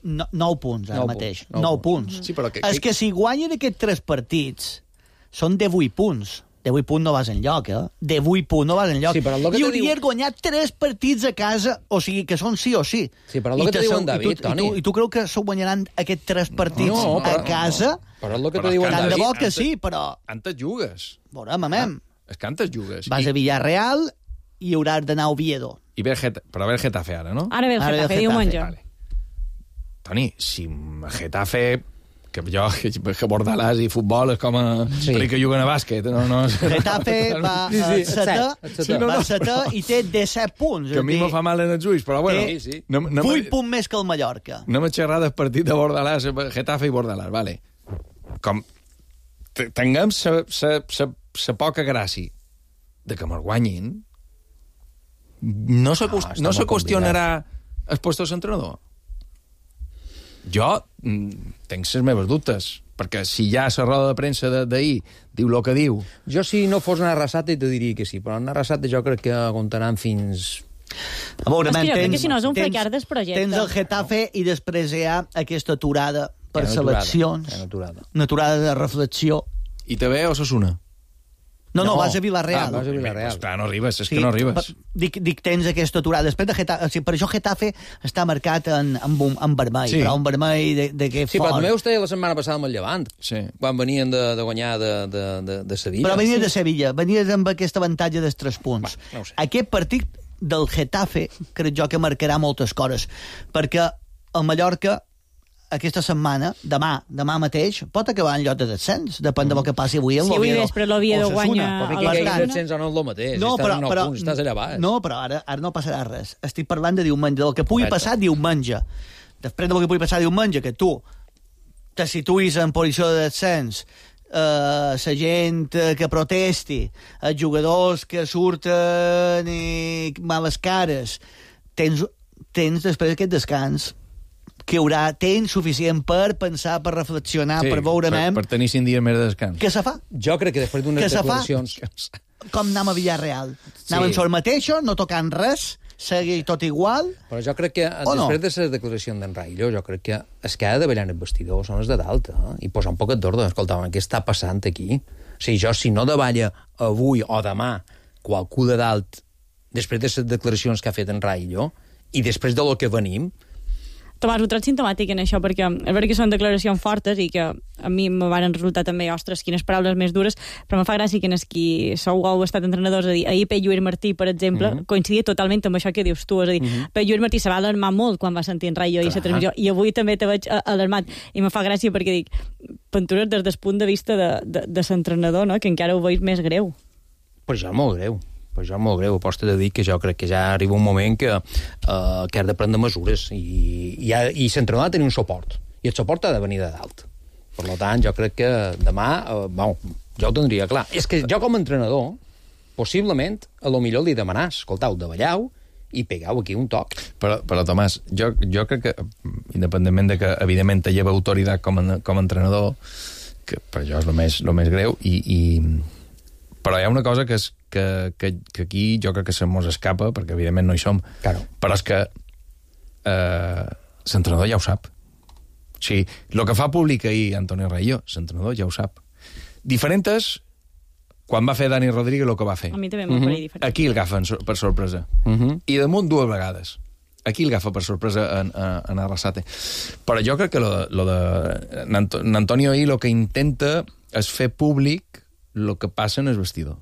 9 punts ara mateix. 9 punts. Sí, però és que si guanyen aquests 3 partits, són de 8 punts. de 8 punts no vas enlloc, De 8 punts no vas enlloc. Sí, però el que I hauries guanyat 3 partits a casa, o sigui, que són sí o sí. Sí, però el que te diuen David, Toni... I tu creus que s'ho guanyaran aquests 3 partits a casa? Però el que te diuen Tant de David... bo que sí, però... Antes jugues. Veurem, mamem. És que antes jugues. Vas a Villarreal i hauràs d'anar a Oviedo. Però ve el Getafe ara, no? Ara ve el Getafe, diumenge. Vale. Toni, si Getafe... Que jo, que Bordalàs i futbol és com a... Sí. Perquè juguen a bàsquet. No. Getafe va a setè i té 17 punts. Que a mi me fa mal en els ulls, però bueno... Sí. 8 punts més que el Mallorca. No m'he xerrat del partit de Bordalàs, Getafe i Bordalàs, vale. Com tinguem sa poca gràcia de que me'l guanyin, no se qüestionarà el puesto d'entrenador. Jo tinc les meves dubtes, perquè si ja la roda de premsa d'ahir diu el que diu... Jo, si no fos una Arrasate, te diria que sí, però una Arrasate jo crec que aguantaran fins... A veure, jo crec que si no és un fracàs del projecte. Tens el Getafe i després hi ha aquesta aturada per seleccions. Una aturada de reflexió. I també Osasuna. No, vas a Villarreal. Vas a Villarreal. Clar, no arribes, és que no arribes. Dic, tens aquesta aturada. Després de Getafe, per això Getafe està marcat en vermell, però un vermell de què fort. Sí, però també vostè la setmana passada amb el Llevant, quan venien de guanyar de Sevilla. Però venien de Sevilla, venien amb aquest avantatge dels 3 punts. No sé. Aquest partit del Getafe crec jo que marcarà moltes coses, perquè el Mallorca aquesta setmana, demà mateix, pot acabar en lloc de descens, depèn del que passi avui en l'Oviedo. Sí, avui vespre l'Oviedo guanya... Però que el descens o no és el mateix, estàs en 9 punts, estàs allà baix. No, però ara no passarà res. Estic parlant de diumenge, del que pugui passar diumenge. Després del que pugui passar diumenge, que tu te situïs en posició de descens, la gent que protesti, els jugadors que surten i males cares, tens després aquest descans que hi haurà temps suficient per pensar, per reflexionar, per veure... Per tenir 5 dies més de descans. Què se fa? Jo crec que després d'unes declaracions... Com anem a Villarreal. Anem en sol mateixos, no tocant res, seguir tot igual... Però jo crec que després de la declaració d'en Raillo, jo crec que es que ha de ballar en el vestidor són els de dalt, i posar un poquet d'ordre. Escolta, què està passant aquí? O sigui, jo, si no davalla avui o demà qualcú de dalt, després de les declaracions que ha fet en Raillo, i després de lo que venim... Tomàs, ho trobo simptomàtic en això, perquè és veritat que són declaracions fortes i que a mi me van resultar també, ostres, quines paraules més dures, però me fa gràcia que en els qui sou heu estat entrenadors, és a dir, ahir Pep Lluís Martí, per exemple, coincidia totalment amb això que dius tu, és a dir, Pep Lluís Martí se va alarmar molt quan va sentir en Raillo i la transmissió, i avui també te veig alarmat, i me fa gràcia perquè dic, Pentures des del punt de vista de l'entrenador, no?, que encara ho veig més greu. Però ja és molt greu. Però jo molt greu, aposta de dir que jo crec que ja arriba un moment que has de prendre mesures i l'entrenador ha de tenir un suport, i el suport ha de venir de dalt. Per tant, jo crec que demà, jo ho tindria clar. És que jo com a entrenador, possiblement, a lo millor li demanàs, escoltau, davalleu i pegau aquí un toc. Però Tomàs, jo crec que, independentment de que, evidentment, te lleva autoritat com a entrenador, que per això és el més greu, però hi ha una cosa que és que aquí jo crec que se mos escapa, perquè evidentment no hi som, claro. Però és que l'entrenador ja ho sap. O sigui, el que fa públic ahir Antonio Raillo, l'entrenador ja ho sap. Diferent és quan va fer Dani Rodríguez el que va fer. A mi també m'ho faria diferent. Aquí el agafen per sorpresa. I damunt 2 vegades. Aquí el agafa per sorpresa en Arrasate. Però jo crec que lo de Antonio ahir el que intenta és fer públic el que passa en el vestidor.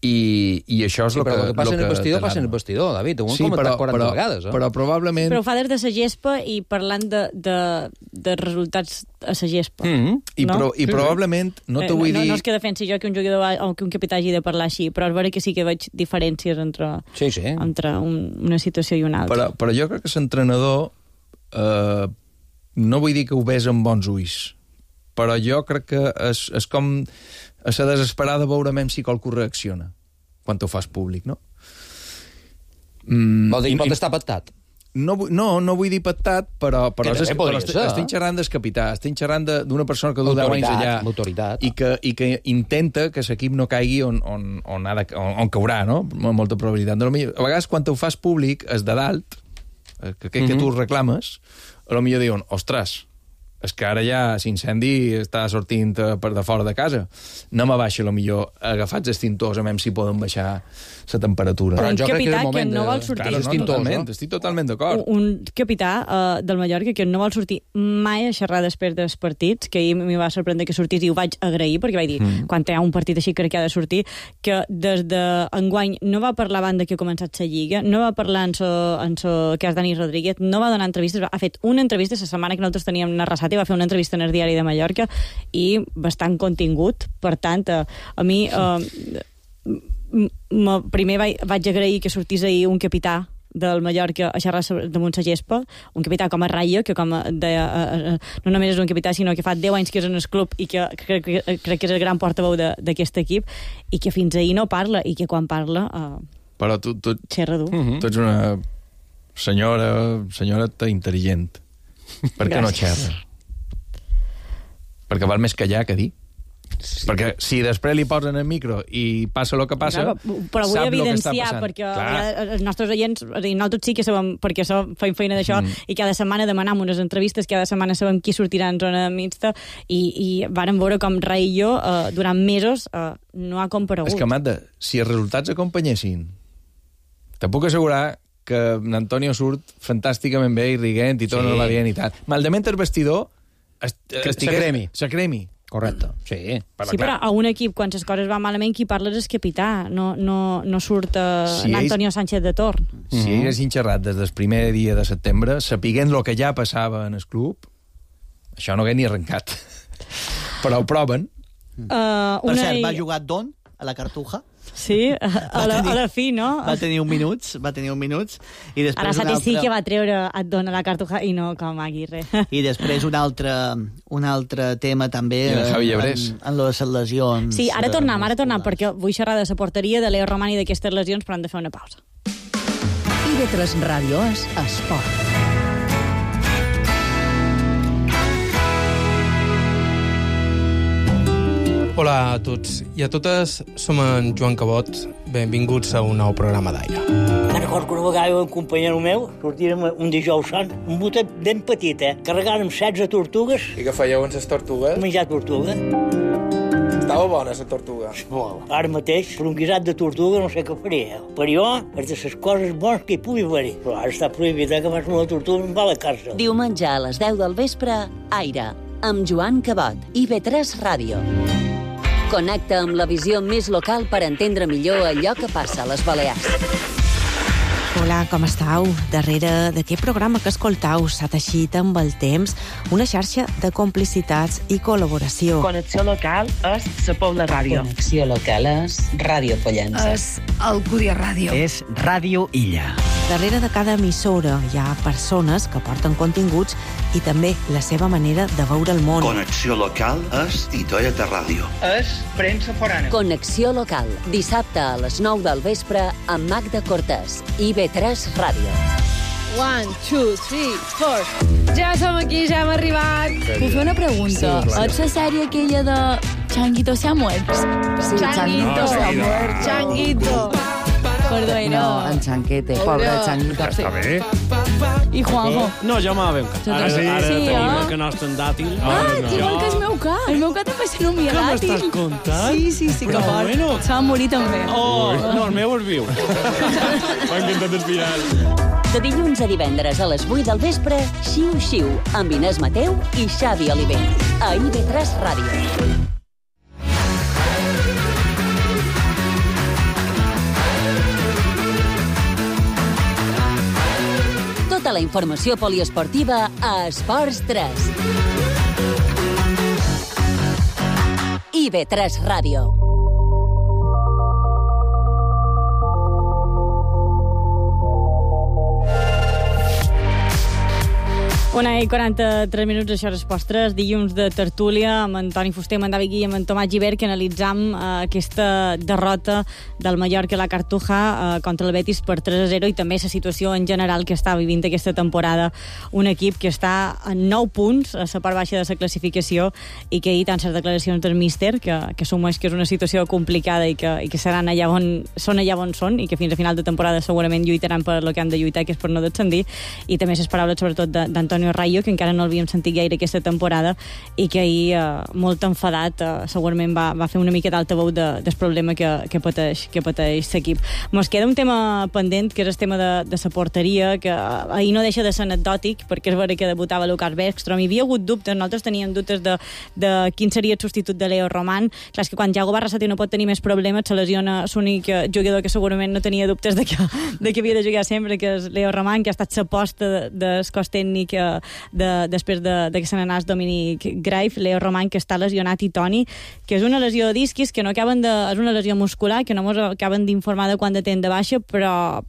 I això és el que... Però el que passa en el vestidor passa en el vestidor, David. Ho hem comentat 40 vegades. Però probablement... Però ho fa des de la gespa i parlant de resultats a la gespa. I probablement, no te vull dir... No és que defensi jo que un jugador o que un capità hagi de parlar així, però és vera que sí que veig diferències entre una situació i una altra. Però jo crec que l'entrenador no vull dir que ho ves amb bons ulls, però jo crec que és com a la desesperada veurem si qualcú reacciona quan ho fas públic, no? Vol dir que pot estar pactat? No vull dir pactat, però estic xerrant del capità, estic xerrant d'una persona que du 10 anys allà i que intenta que l'equip no caigui on caurà, no? Amb molta probabilitat. A vegades, quan ho fas públic, és de dalt, que tu reclames, a lo millor diuen, ostres, és que ara ja l'incendi està sortint per de fora de casa. Anem a baixar, millor agafats extintors, a veure si poden baixar la temperatura. Però jo crec que és el moment que no vol sortir. Estic totalment d'acord. Un capità del Mallorca que no vol sortir mai a xerrar després dels partits, que ahir m'hi va sorprendre que sortís i ho vaig agrair, perquè vaig dir, quan hi ha un partit així crec que ha de sortir, que des d'enguany no va parlar abans que ha començat la Lliga, no va parlar en so cas Dani Rodríguez, no va donar entrevistes, ha fet una entrevista la setmana que nosaltres teníem una Arrasat i va fer una entrevista en el diari de Mallorca i bastant contingut. Per tant, a mi primer vaig agrair que sortís ahir un capità del Mallorca a xerrar damunt la gespa, un capità com a Rayo, que no només és un capità, sinó que fa 10 anys que és en el club i que crec que és el gran portaveu d'aquest equip, i que fins ahir no parla, i que quan parla però tu xerra dur. Tu ets una senyora intel·ligent. Per què no xerra? Perquè val més callar que dir. Sí. Perquè si després li posen el micro i passa el que passa, però vull sap el que està evidenciar, passant. perquè els nostres oients, nosaltres sí que sabem, perquè fem feina d'això, i cada setmana demanem unes entrevistes, cada setmana sabem qui sortirà en zona mixta, i vàrem veure com Rai i jo, durant mesos, no ha comparegut. És que, Amanda, si els resultats acompanyessin, te puc assegurar que Antonio surt fantàsticament bé i riguent i tot no va bien i tal. Maldament el vestidor se cremi. Correcte, sí. Sí, però a un equip, quan les coses van malament, qui parla és el capità, no surt Antonio Sánchez de torn. Si haguessin xerrat des del primer dia de setembre, sapiguent el que ja passava en el club, això no hagués ni arrencat. Però ho proven. Per cert, va jugar Don a la Cartuja. Sí, a la fi, no? Va tenir un minuts. I després Arrasate sí que va treure et dona la Cartuja i no com Aguirre. I després un altre tema també en les lesions. Sí, ara tornem, perquè vull xerrar de la porteria de Leo Romani d'aquestes lesions, però hem de fer una pausa. IB3 Ràdio és esport. Hola a tots i a totes, som en Joan Cabot. Benvinguts a un nou programa d'Aire. Me'n recordo que una vegada un companyero meu sortirem un dijous sant, un botet ben petit, carregàrem 16 tortugues. I què fèieu amb les tortugues? Menjar tortuga. Estava bona, la tortuga. Molt. Ara mateix, per un guisat de tortuga no sé què faria. Per jo, és de les coses bones que hi pugui haver-hi. Però ara està prohibit que fas una tortuga i em va a la càrcel. Diumenge a les 10 del vespre, Aire, amb Joan Cabot, IB3 Ràdio. Connecta amb la visió més local per entendre millor allò que passa a les Balears. Hola, com estàu? Darrere d'aquest programa que escoltau s'ha teixit amb el temps una xarxa de complicitats i col·laboració. Connexió local és la Pobla Ràdio. Connexió local és Ràdio Pollença. És Alcúdia Ràdio. És Ràdio Illa. Darrere de cada emissora hi ha persones que porten continguts i també la seva manera de veure el món. Connexió local és Titoeta Ràdio. És premsa forana. Connexió local, dissabte a les 9 del vespre amb Magda Cortés, IB3 Ràdio. 1, 2, 3, 4. Ja som aquí, ja hem arribat. Puc fer una pregunta? És la sèrie aquella de Changuito se ha muerto? Sí, Changuito se ha muerto. Changuito. Perdó, no, en Chanquete, pobre Changuito. Està bé. I Juanjo? No, jo me la veu cat. Ara tenim el que nostre en dàtil. Igual que el meu cat. El meu cat també se nomia dàtil. Què m'estàs contant? Sí, que fort. Se va morir també. No, el meu és viu. M'ha encantat el final. De dilluns a divendres a les 8 del vespre, Xiu Xiu, amb Inés Mateu i Xavi Olivell. A IB3 Ràdio. Tota la informació poliesportiva a Esports 3. IB3 Ràdio. Una i 43 minuts, això és Esports 3, dilluns de tertúlia amb en Toni Fuster, amb en David Guy i amb en Tomàs Gibert, que analitzam aquesta derrota del Mallorca a la Cartuja contra el Betis per 3-0 i també la situació en general que està vivint aquesta temporada. Un equip que està a 9 punts a la part baixa de la classificació i que ahir tant les declaracions del míster, que assumeix que és una situació complicada i que seran allà on són i que fins a final de temporada segurament lluitaran per el que han de lluitar, que és per no descendir, i també les paraules sobretot d'Antonio Antonio Rayo, que encara no l'havíem sentit gaire aquesta temporada, i que ahir, molt enfadat, segurament va fer una mica d'altaveu del problema que pateix l'equip. Mos queda un tema pendent, que és el tema de la porteria, que ahir no deixa de ser anecdòtic, perquè és vera que debutava Lucas Bergström. Hi havia hagut dubtes, nosaltres teníem dubtes de quin seria el substitut de Leo Roman. Clar, és que quan Iago Barrasate no pot tenir més problemes, se lesiona l'únic jugador que segurament no tenia dubtes de que havia de jugar sempre, que és Leo Roman, que ha estat l'aposta del cos tècnic després de que se n'anàs Dominic Greif. Leo Roman, que està lesionat, i Toni, que és una lesió de disquis, que no acaben és una lesió muscular, que no ens acaben d'informar de quant de temps de baixa, però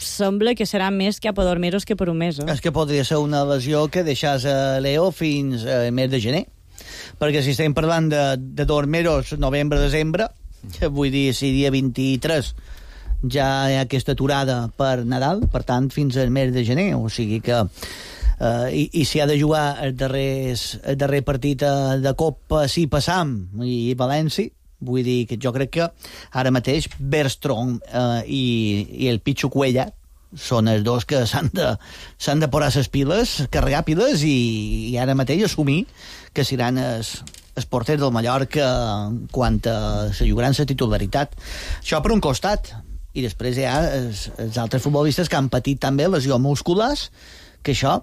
sembla que serà més cap a 2 mesos que per un mes. És que podria ser una lesió que deixàs a Leo fins al mes de gener, perquè si estem parlant de 2 mesos, novembre-desembre, vull dir, si dia 23 ja hi ha aquesta aturada per Nadal, per tant, fins al mes de gener, o sigui que i si ha de jugar el darrer partit de Copa, si passam, i València, vull dir que jo crec que ara mateix Bergström i el Pichu Cuellar són els dos que s'han de posar les piles, carregar piles i ara mateix assumir que seran els porters del Mallorca quan se jugaran la titularitat. Això per un costat. I després hi ha els altres futbolistes que han patit també lesions musculars, que això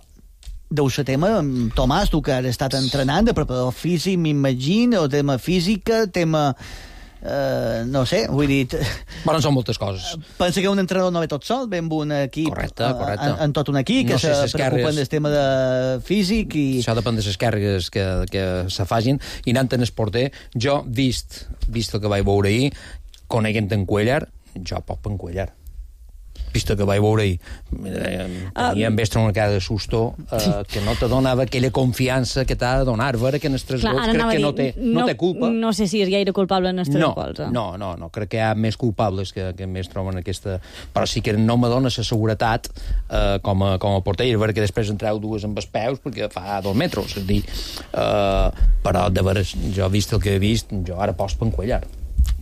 deu ser tema, Tomàs, tu que has estat entrenant, de preparador físic, m'imagino, tema física, tema... no sé, vull dir... Bueno, són moltes coses. Pensa que un entrenador no ve tot sol, ve amb un equip... Correcte. En tot un equip, que se preocupen del tema de físic i... Això depèn de les càrregues que se facin, i anant en el porter, jo, vist el que vaig veure ahir, coneguent en Cuellar, jo poc per en Cuellar. Vist que vaig veure ahir, tenia en Bergström una cara de susto, que no te donava aquella confiança que t'ha de donar. Veure que en els 3 gols crec que no té culpa. No sé si és gaire culpable en els 3 gols. No, crec que hi ha més culpables que Bergström en aquesta... Però sí que no me dona la seguretat com a porter, i veure que després en treu 2 amb els peus, perquè fa 2 metres, és a dir, però de veres, jo vist el que he vist, jo ara poso per en Cuellar.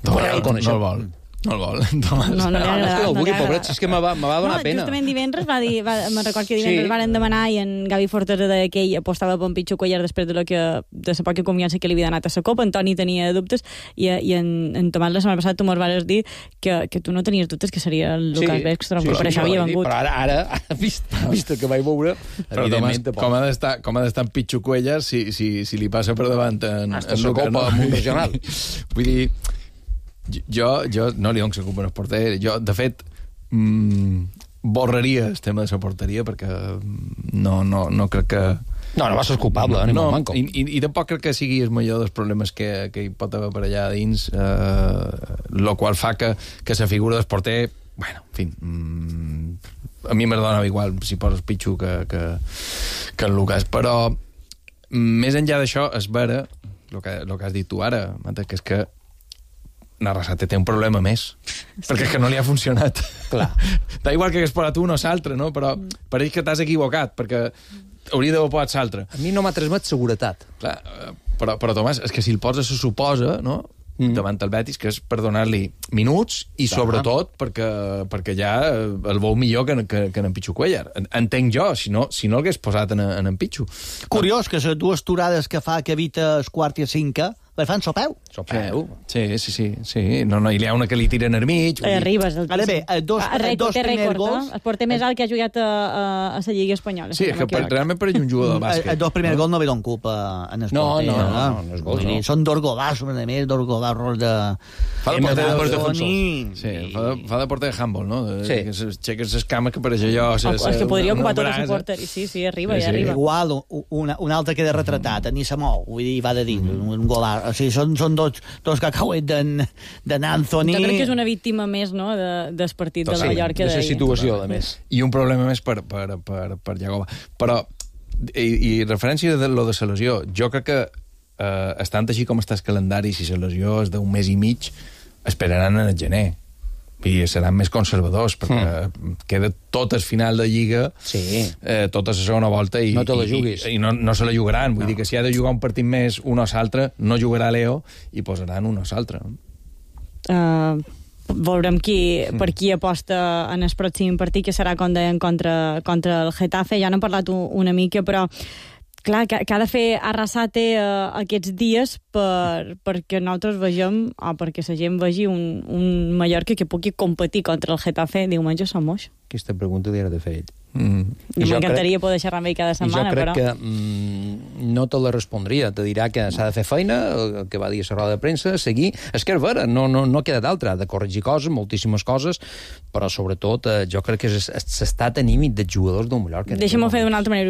No el vol. No el vol, Tomàs. No li agrada. Pobret, és que me va donar pena. Justament divendres me'n record que divendres varen demanar, i en Gavi Fortes deia que ell apostava per en Pichu Cuellar després de la poca confiança que li havia donat a la Copa. En Toni tenia dubtes, i en Tomàs la setmana passada tu mos vas dir que tu no tenies dubtes que seria el Lucas Bergström, per això havia vengut. Però ara vist el que vaig veure, evidentment... Com ha d'estar en Pichu Cuellar si li passa per davant en la Copa Regional? Vull dir... Jo no li dono la culpa al porter. Jo, de fet, borraria el tema de la porteria, perquè no crec que... No va ser culpable, ni molt manco. I tampoc crec que sigui el millor dels problemes que hi pot haver per allà dins, el qual fa que la figura del porter, bueno, en fi, a mi m'adona igual si poses Pichu que el Lucas, però més enllà d'això, és vera el que has dit tu ara, que és que Arrasate té un problema més, perquè és que no li ha funcionat. Clar. Da igual que hagués posat un o l'altre, no? Però pareix que t'has equivocat, perquè hauria d'haver posat l'altre. A mi no m'ha transmet seguretat. Clar, però Tomàs, és que si el posa se suposa, no?, davant el Betis, que és per donar-li minuts i sobretot perquè ja el veu millor que en Pichu Cuellar. Entenc jo, si no l'hagués posat en Pichu. Curiós que les 2 turades que fa que evita el quart i el cinquè les fan sopeu. Sí. No, i hi ha una que li tiren al mig. Arribes. Ara bé, els dos primers gols... El porter més alt que ha jugat a la Lliga Espanyola. Sí, és que realment pareix un jugador de bàsquet. Els 2 primers gols no ve don culpa en el porter. No, els gols no. Són 2 golazos, a més, 2 golazos de... Fa de porter de defensor. Sí, fa de porter de handball, no? Sí. Que s'aixeques les cames que pareix allò... És que podria ocupar tot el suport. Sí, arriba. Igual, un altre queda retratat, ni se mou, vull dir, va de dins, un golàs. O sigui, són dos cacauets d'en Anthony. Jo crec que és una víctima més, no?, del partit de Mallorca. De la situació, a més. I un problema més per Jagoba. Però, i referència de lo de la lesió, jo crec que estant així com està el calendari, si la lesió és d'un mes i mig, esperaran en el gener. I seran més conservadors, perquè queda tot el final de Lliga, tota la segona volta, i no te la juguis. I no se la jugaran. Vull dir que si ha de jugar un partit més un o l'altre, no jugarà Leo i posaran un o l'altre. veurem per qui aposta en el pròxim partit, que serà, com deien, contra el Getafe. Ja n'hem parlat una mica, però clar, que ha de fer Arrasate aquests dies perquè nosaltres vegem, o perquè la gent vegi un Mallorca que pugui competir contra el Getafe diumenge a Sant Moix. Aquesta pregunta li ha de fer ell. M'encantaria poder xerrar amb ell cada setmana, però... Jo crec que no te la respondria. Te dirà que s'ha de fer feina, el que va dir a la roda de premsa, seguir. És que és vera, no queda d'altra. Ha de corregir coses, moltíssimes coses, però sobretot jo crec que és l'estat anímic dels jugadors del Mallorca. Deixa'm-ho fer d'una altra manera.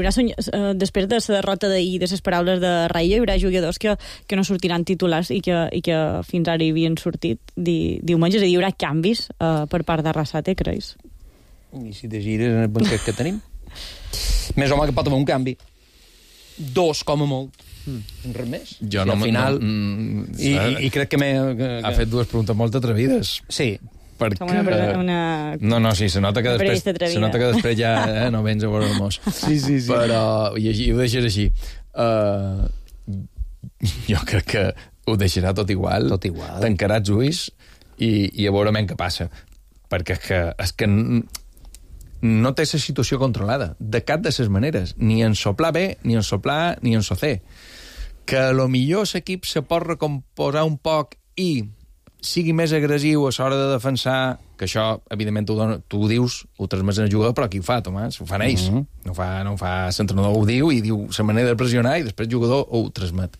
Després de la derrota d'ahir, de les paraules de Raïlla, hi haurà jugadors que no sortiran titulars i que fins ara hi havien sortit diumenge. És a dir, hi haurà canvis per part d'Arrasate, creus? I si te gires en el banquet que tenim? Més home que pot haver un canvi. 2, com a molt. Res més. Jo no... Al final... I crec que ha fet 2 preguntes molt atrevides. Sí. Com una... No, sí, se nota que després ja no vens a veure el mos. Sí. Però, i ho deixes així. Jo crec que ho deixarà tot igual. Tancarà els ulls i a veure què passa. Perquè és que no té la situació controlada, de cap de les maneres, ni en soplar B, ni en soplar A, ni en socer. Que a lo millor l'equip se pot recomposar un poc i sigui més agressiu a l'hora de defensar, que això, evidentment, tu ho dius, ho transmets al jugador, però qui ho fa, Tomàs? Ho fan ells. No ho fa l'entrenador, ho diu, i diu la manera de pressionar, i després el jugador ho transmet.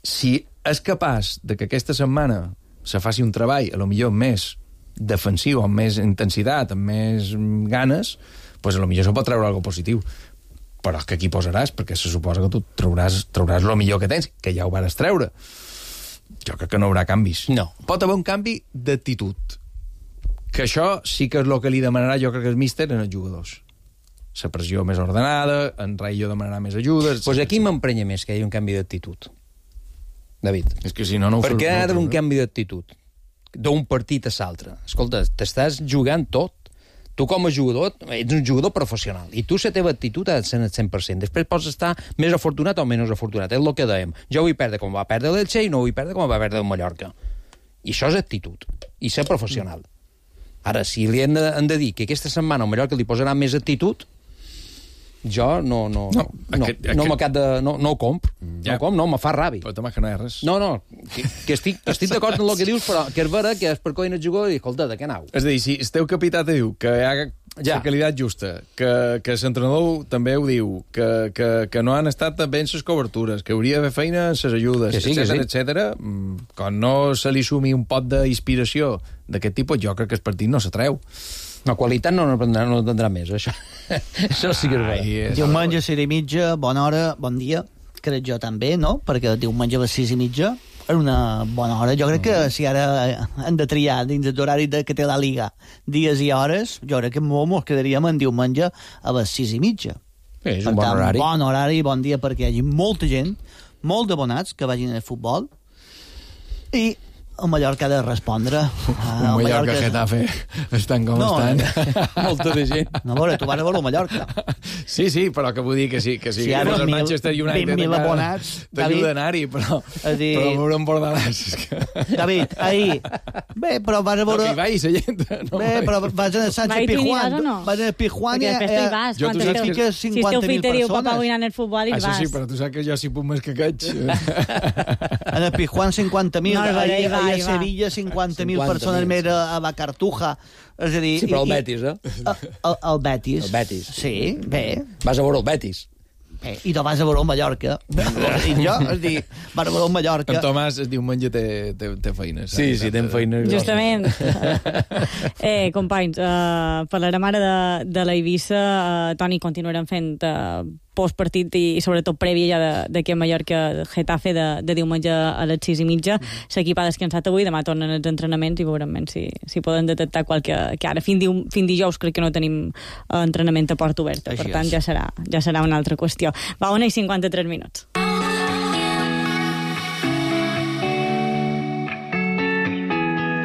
Si és capaç de que aquesta setmana se faci un treball, a lo millor més defensiu, amb més intensitat, amb més ganes, doncs potser se pot treure alguna positiu. Però és que aquí posaràs, perquè se suposa que tu trauràs el millor que tens, que ja ho vas treure. Jo crec que no hi haurà canvis. No. Pot haver un canvi d'actitud. Que això sí que és el que li demanarà, jo crec que el míster, en els jugadors. La pressió més ordenada, en Raïllo demanarà més ajudes... Doncs aquí m'emprenya més que hi hagi un canvi d'actitud. David. És que si no ho per què ha d'haver un canvi d'actitud? D'un partit a l'altre. Escolta, t'estàs jugant tot. Tu com a jugador ets un jugador professional i tu la teva actitud ha de ser el 100%. Després pots estar més afortunat o menys afortunat. És el que dèiem. Jo vull perdre com va perdre l'Elche i no vull perdre com va perdre el Mallorca. I això és actitud. I ser professional. Ara, si li hem de dir que aquesta setmana al Mallorca li posarà més actitud, jo no ho compro. No, me fa ràbia. Però Tomàs, que no hi ha res. No, que estic d'acord amb el que dius, però que és vera que és per coi el jugador i escolta, de què anau? És a dir, si el teu capità te diu que hi ha la qualitat justa, que l'entrenador també ho diu, que no han estat ben les cobertures, que hauria de fer feina en les ajudes, etcètera, quan no se li sumi un pot d'inspiració d'aquest tipus, jo crec que el partit no s'atreu. La qualitat no tindrà més, això. Això sí que és bé. Diumenge a 6:30, bona hora, bon dia. Crec jo també, no? Perquè diumenge a les 6:30 és una bona hora. Jo crec que si ara hem de triar dins l'horari que té la Liga dies i hores, jo crec que ens quedaríem en diumenge a les 6:30. És un bon horari. Bon horari, bon dia perquè hi hagi molta gent, molt d'abonats que vagin al futbol i el Mallorca ha de respondre. El Mallorca Getafe estan com estan. Molta de gent. No, veure, tu vas a veure el Mallorca. Sí, però que vull dir que sí. Que si ara el Manchester United 20.000 abonats, t'ajuda a anar-hi, però veure un Bordalàs. David, ahir... Bé, però vas a veure... No, que hi vaig, la gent. Bé, però vas a Sánchez Pizjuán. Vas a Pizjuán i... Jo tu saps que... Si esteu fites diu, papà, vull anar al futbol i vas. Això sí, però tu saps que jo si puc més que caig. En el Pizjuán 50.000, a Sevilla 50.000 persones més a la Cartuja. És a dir... Sí, però el Betis, El Betis. El Betis. Sí, bé. Vas a veure el Betis. I tu vas a veure el Mallorca. I jo, és dir, vas a veure el Mallorca. En Tomàs es diu menja té feines. Sí, té feines. Justament. Companys, parlarem ara de la Eivissa. Toni, continuarem fent postpartit i sobretot prèvia ja d'aquest Mallorca-Getafe de diumenge a les 6:30. L'equip ha descansat avui, demà tornen els entrenaments i veurem si poden detectar qualque... Que ara, fins dijous, crec que no tenim entrenament a porta oberta. Per tant, ja serà una altra qüestió. Va, 1:53 minuts.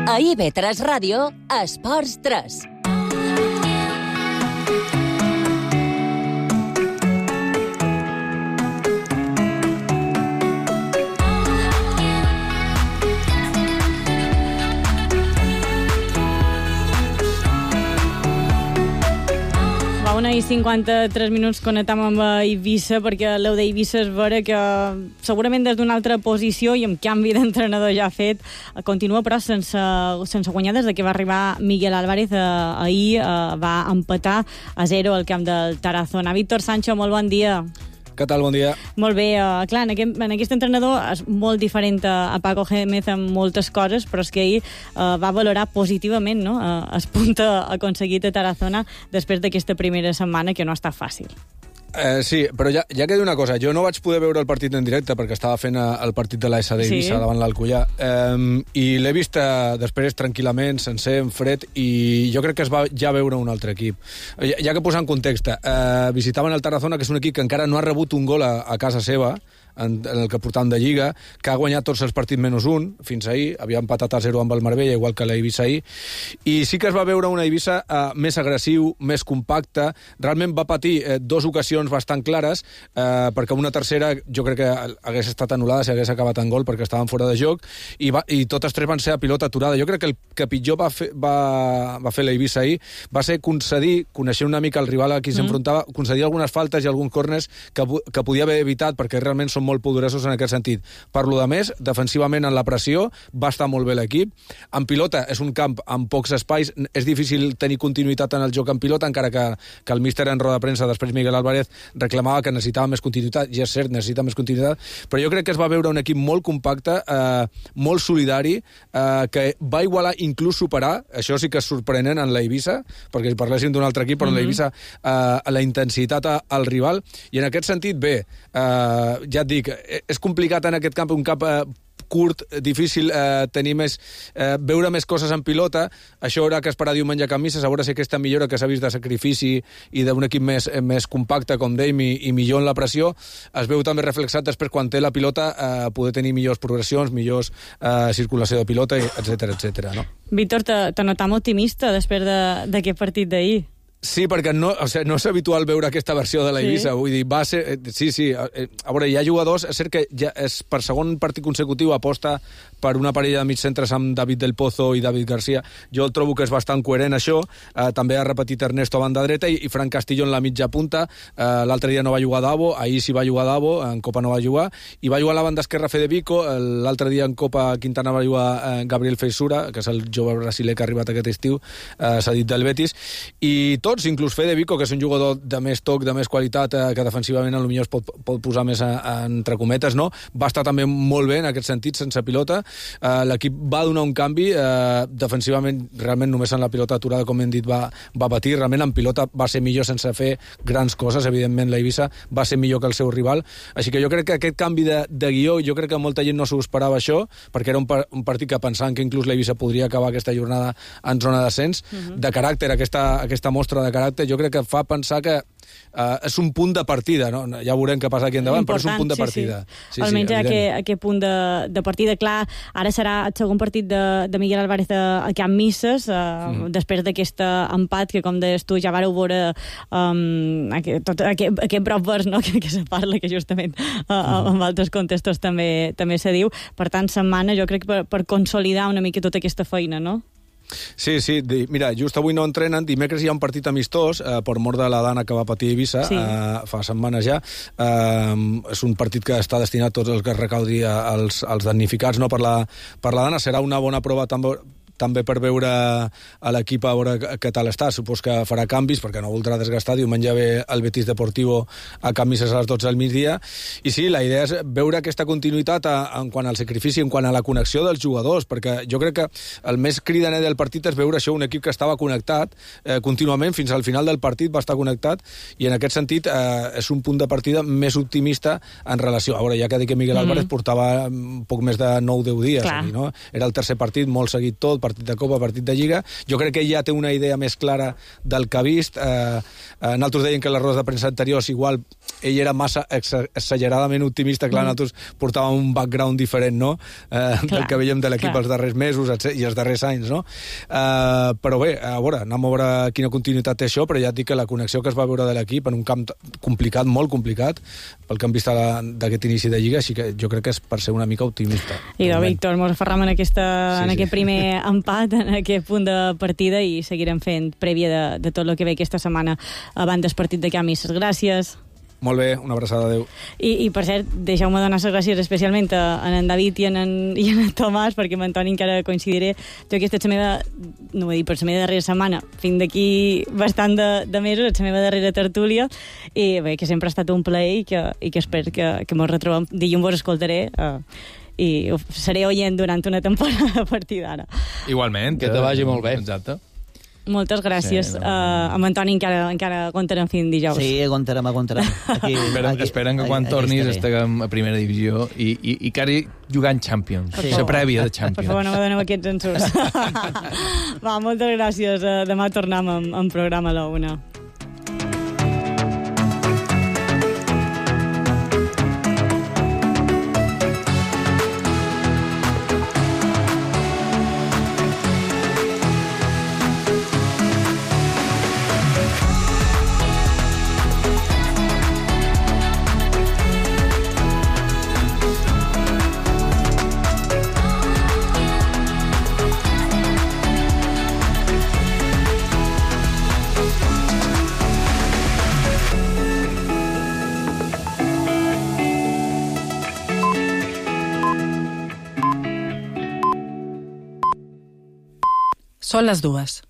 A IB3 Ràdio, Esports 3. 1 i 53 minuts connectam amb Eivissa, perquè l'Eu d'Eivissa és vera que segurament des d'una altra posició i amb canvi d'entrenador ja fet, continua però sense guanyar des que va arribar Miguel Álvarez. Ahir va empatar a 0 al camp del Tarazona. Víctor Sancho, molt bon dia. Què tal? Bon dia. Molt bé. Clar, en aquest entrenador és molt diferent a Paco Gémez en moltes coses, però és que ahir va valorar positivament, no?, el punt aconseguit a Tarazona després d'aquesta primera setmana, que no ha estat fàcil. Sí, però ja queda una cosa. Jo no vaig poder veure el partit en directe perquè estava fent el partit de l'AS d'Eivissa davant l'Alcoyà, i l'he vist després tranquil·lament, sencer, en fred, i jo crec que es va ja veure un altre equip. Ja que posar en context, visitaven el Tarazona, que és un equip que encara no ha rebut un gol a casa seva, en el que portàvem de Lliga, que ha guanyat tots els partits menys un, fins ahir, havia empatat a 0 amb el Marbella, igual que l'Eivissa ahir, i sí que es va veure una Eivissa més agressiu, més compacta. Realment va patir 2 ocasions bastant clares, perquè una tercera jo crec que hagués estat anul·lada si hagués acabat en gol, perquè estaven fora de joc, i totes 3 van ser a pilota aturada. Jo crec que el que pitjor va fer l'Eivissa ahir va ser concedir, coneixent una mica el rival a qui s'enfrontava, concedir algunes faltes i alguns córners que podia haver evitat, perquè realment són molt poderosos en aquest sentit. Per lo de més, defensivament en la pressió va estar molt bé l'equip. En pilota és un camp amb pocs espais, és difícil tenir continuïtat en el joc en pilota, encara que el míster en roda de premsa, després Miguel Álvarez, reclamava que necessitava més continuïtat, i és cert, necessita més continuïtat, però jo crec que es va veure un equip molt compacte, molt solidari, que va igualar, inclús superar, això sí que és sorprenent en l'Eivissa, perquè si parléssim d'un altre equip, però en l'Eivissa la intensitat al rival, i en aquest sentit, bé, ja et dic, és complicat en aquest camp, un camp curt, difícil tenir veure més coses en pilota. Això haurà que esperar diumenge a Camisses, a veure si aquesta millora que s'ha vist de sacrifici i d'un equip més compacte, com dèiem, i millor en la pressió, es veu també reflexat després quan té la pilota, poder tenir millors progressions, millors circulació de pilota, etc. No? Víctor, te notam optimista després d'aquest partit d'ahir. Sí, perquè no és habitual veure aquesta versió de l'Eivissa. Vull dir, va ser... Sí. A veure, hi ha jugadors... És cert que ja és per segon partit consecutiu aposta per una parella de mitjcentres amb David Del Pozo i David García. Jo trobo que és bastant coherent, això. També ha repetit Ernesto a banda dreta i Fran Castillo en la mitja punta. L'altre dia no va jugar Davo, ahir sí va jugar Davo, en Copa no va jugar, i va jugar a la banda esquerra Federico, l'altre dia en Copa Quintana va jugar Gabriel Feisura, que és el jove brasiler que ha arribat aquest estiu, cedit del Betis, i tots, inclús Federico, que és un jugador de més toc, de més qualitat, que defensivament potser es pot posar més entre cometes, no? Va estar també molt bé en aquest sentit, sense pilota. L'equip va donar un canvi, defensivament realment només en la pilota aturada, com hem dit, va patir, realment en pilota va ser millor sense fer grans coses, evidentment l'Eivissa va ser millor que el seu rival, així que jo crec que aquest canvi de guió, jo crec que molta gent no s'ho esperava això, perquè era un partit que pensaven que inclús l'Eivissa podria acabar aquesta jornada en zona d'ascens, de caràcter, aquesta mostra de caràcter, jo crec que fa pensar que és un punt de partida, no? Ja veurem què passa aquí endavant, però és un punt de partida. Sí. Almenys aquest punt de partida. Clar, ara serà el segon partit de Miguel Álvarez a Camp Misses, després d'aquest empat que, com deies tu, ja vareu veure aquest prop vers, no?, que se parla, que justament en altres contextos també se diu. Per tant, setmana, jo crec, per consolidar una mica tota aquesta feina, no? Sí, mira, just avui no entrenen, dimecres hi ha un partit amistós per mort de la dana que va patir Eivissa fa setmanes ja. És un partit que està destinat a tots els que es recaudi als damnificats, no, per la dana. Serà una bona prova també per veure a l'equip, a veure què tal està. Supos que farà canvis, perquè no voldrà desgastar. Diumenge ve el Betis Deportivo a Camisses a les 12 del migdia. I sí, la idea és veure aquesta continuïtat en quant al sacrifici, en quant a la connexió dels jugadors, perquè jo crec que el més cridaner del partit és veure això, un equip que estava connectat contínuament, fins al final del partit va estar connectat, i en aquest sentit és un punt de partida més optimista en relació. A veure, ja que dic que Miguel Álvarez portava poc més de 9-10 dies aquí, no? Era el tercer partit, molt seguit tot, partit de Copa, partit de Lliga. Jo crec que ell ja té una idea més clara del que ha vist. Nosaltres deien que les rodes de premsa anteriors igual ell era massa exageradament optimista. Clar, nosaltres portàvem un background diferent, no? Del que veiem de l'equip els darrers mesos i els darrers anys, no? Però bé, a veure, anem a veure quina continuïtat té això, però ja et dic que la connexió que es va veure de l'equip en un camp complicat, molt complicat, pel que hem vist d'aquest inici de Lliga, així que jo crec que és per ser una mica optimista. I Víctor, mos aferram en aquest primer empat en aquest punt de partida i seguirem fent prèvia de tot el que ve aquesta setmana abans del partit de Camis. Gràcies. Molt bé, una abraçada, adéu. I per cert, deixeu-me donar les gràcies especialment a en David i en Tomàs, perquè amb Antoni encara coincidiré. Jo aquesta és la meva, no ho he dit, per la meva darrera setmana, fins d'aquí bastant de mesos, és la meva darrera tertúlia, i bé, que sempre ha estat un plaer i que espero que mos retrobem. Dilluns vos escoltaré i seré oient durant una temporada a partir d'ara. Igualment. Que te vagi molt bé. Exacte. Moltes gràcies. Sí, amb Antoni encara aguantarem fins dijous. Sí, aguantarem. Aquí, Esperen que quan tornis estiguem a primera divisió i quasi jugant Champions. La prèvia de Champions. Per favor, no me doneu aquests ensurts. Va, moltes gràcies. Demà tornem amb programa a la 1. Són les 2.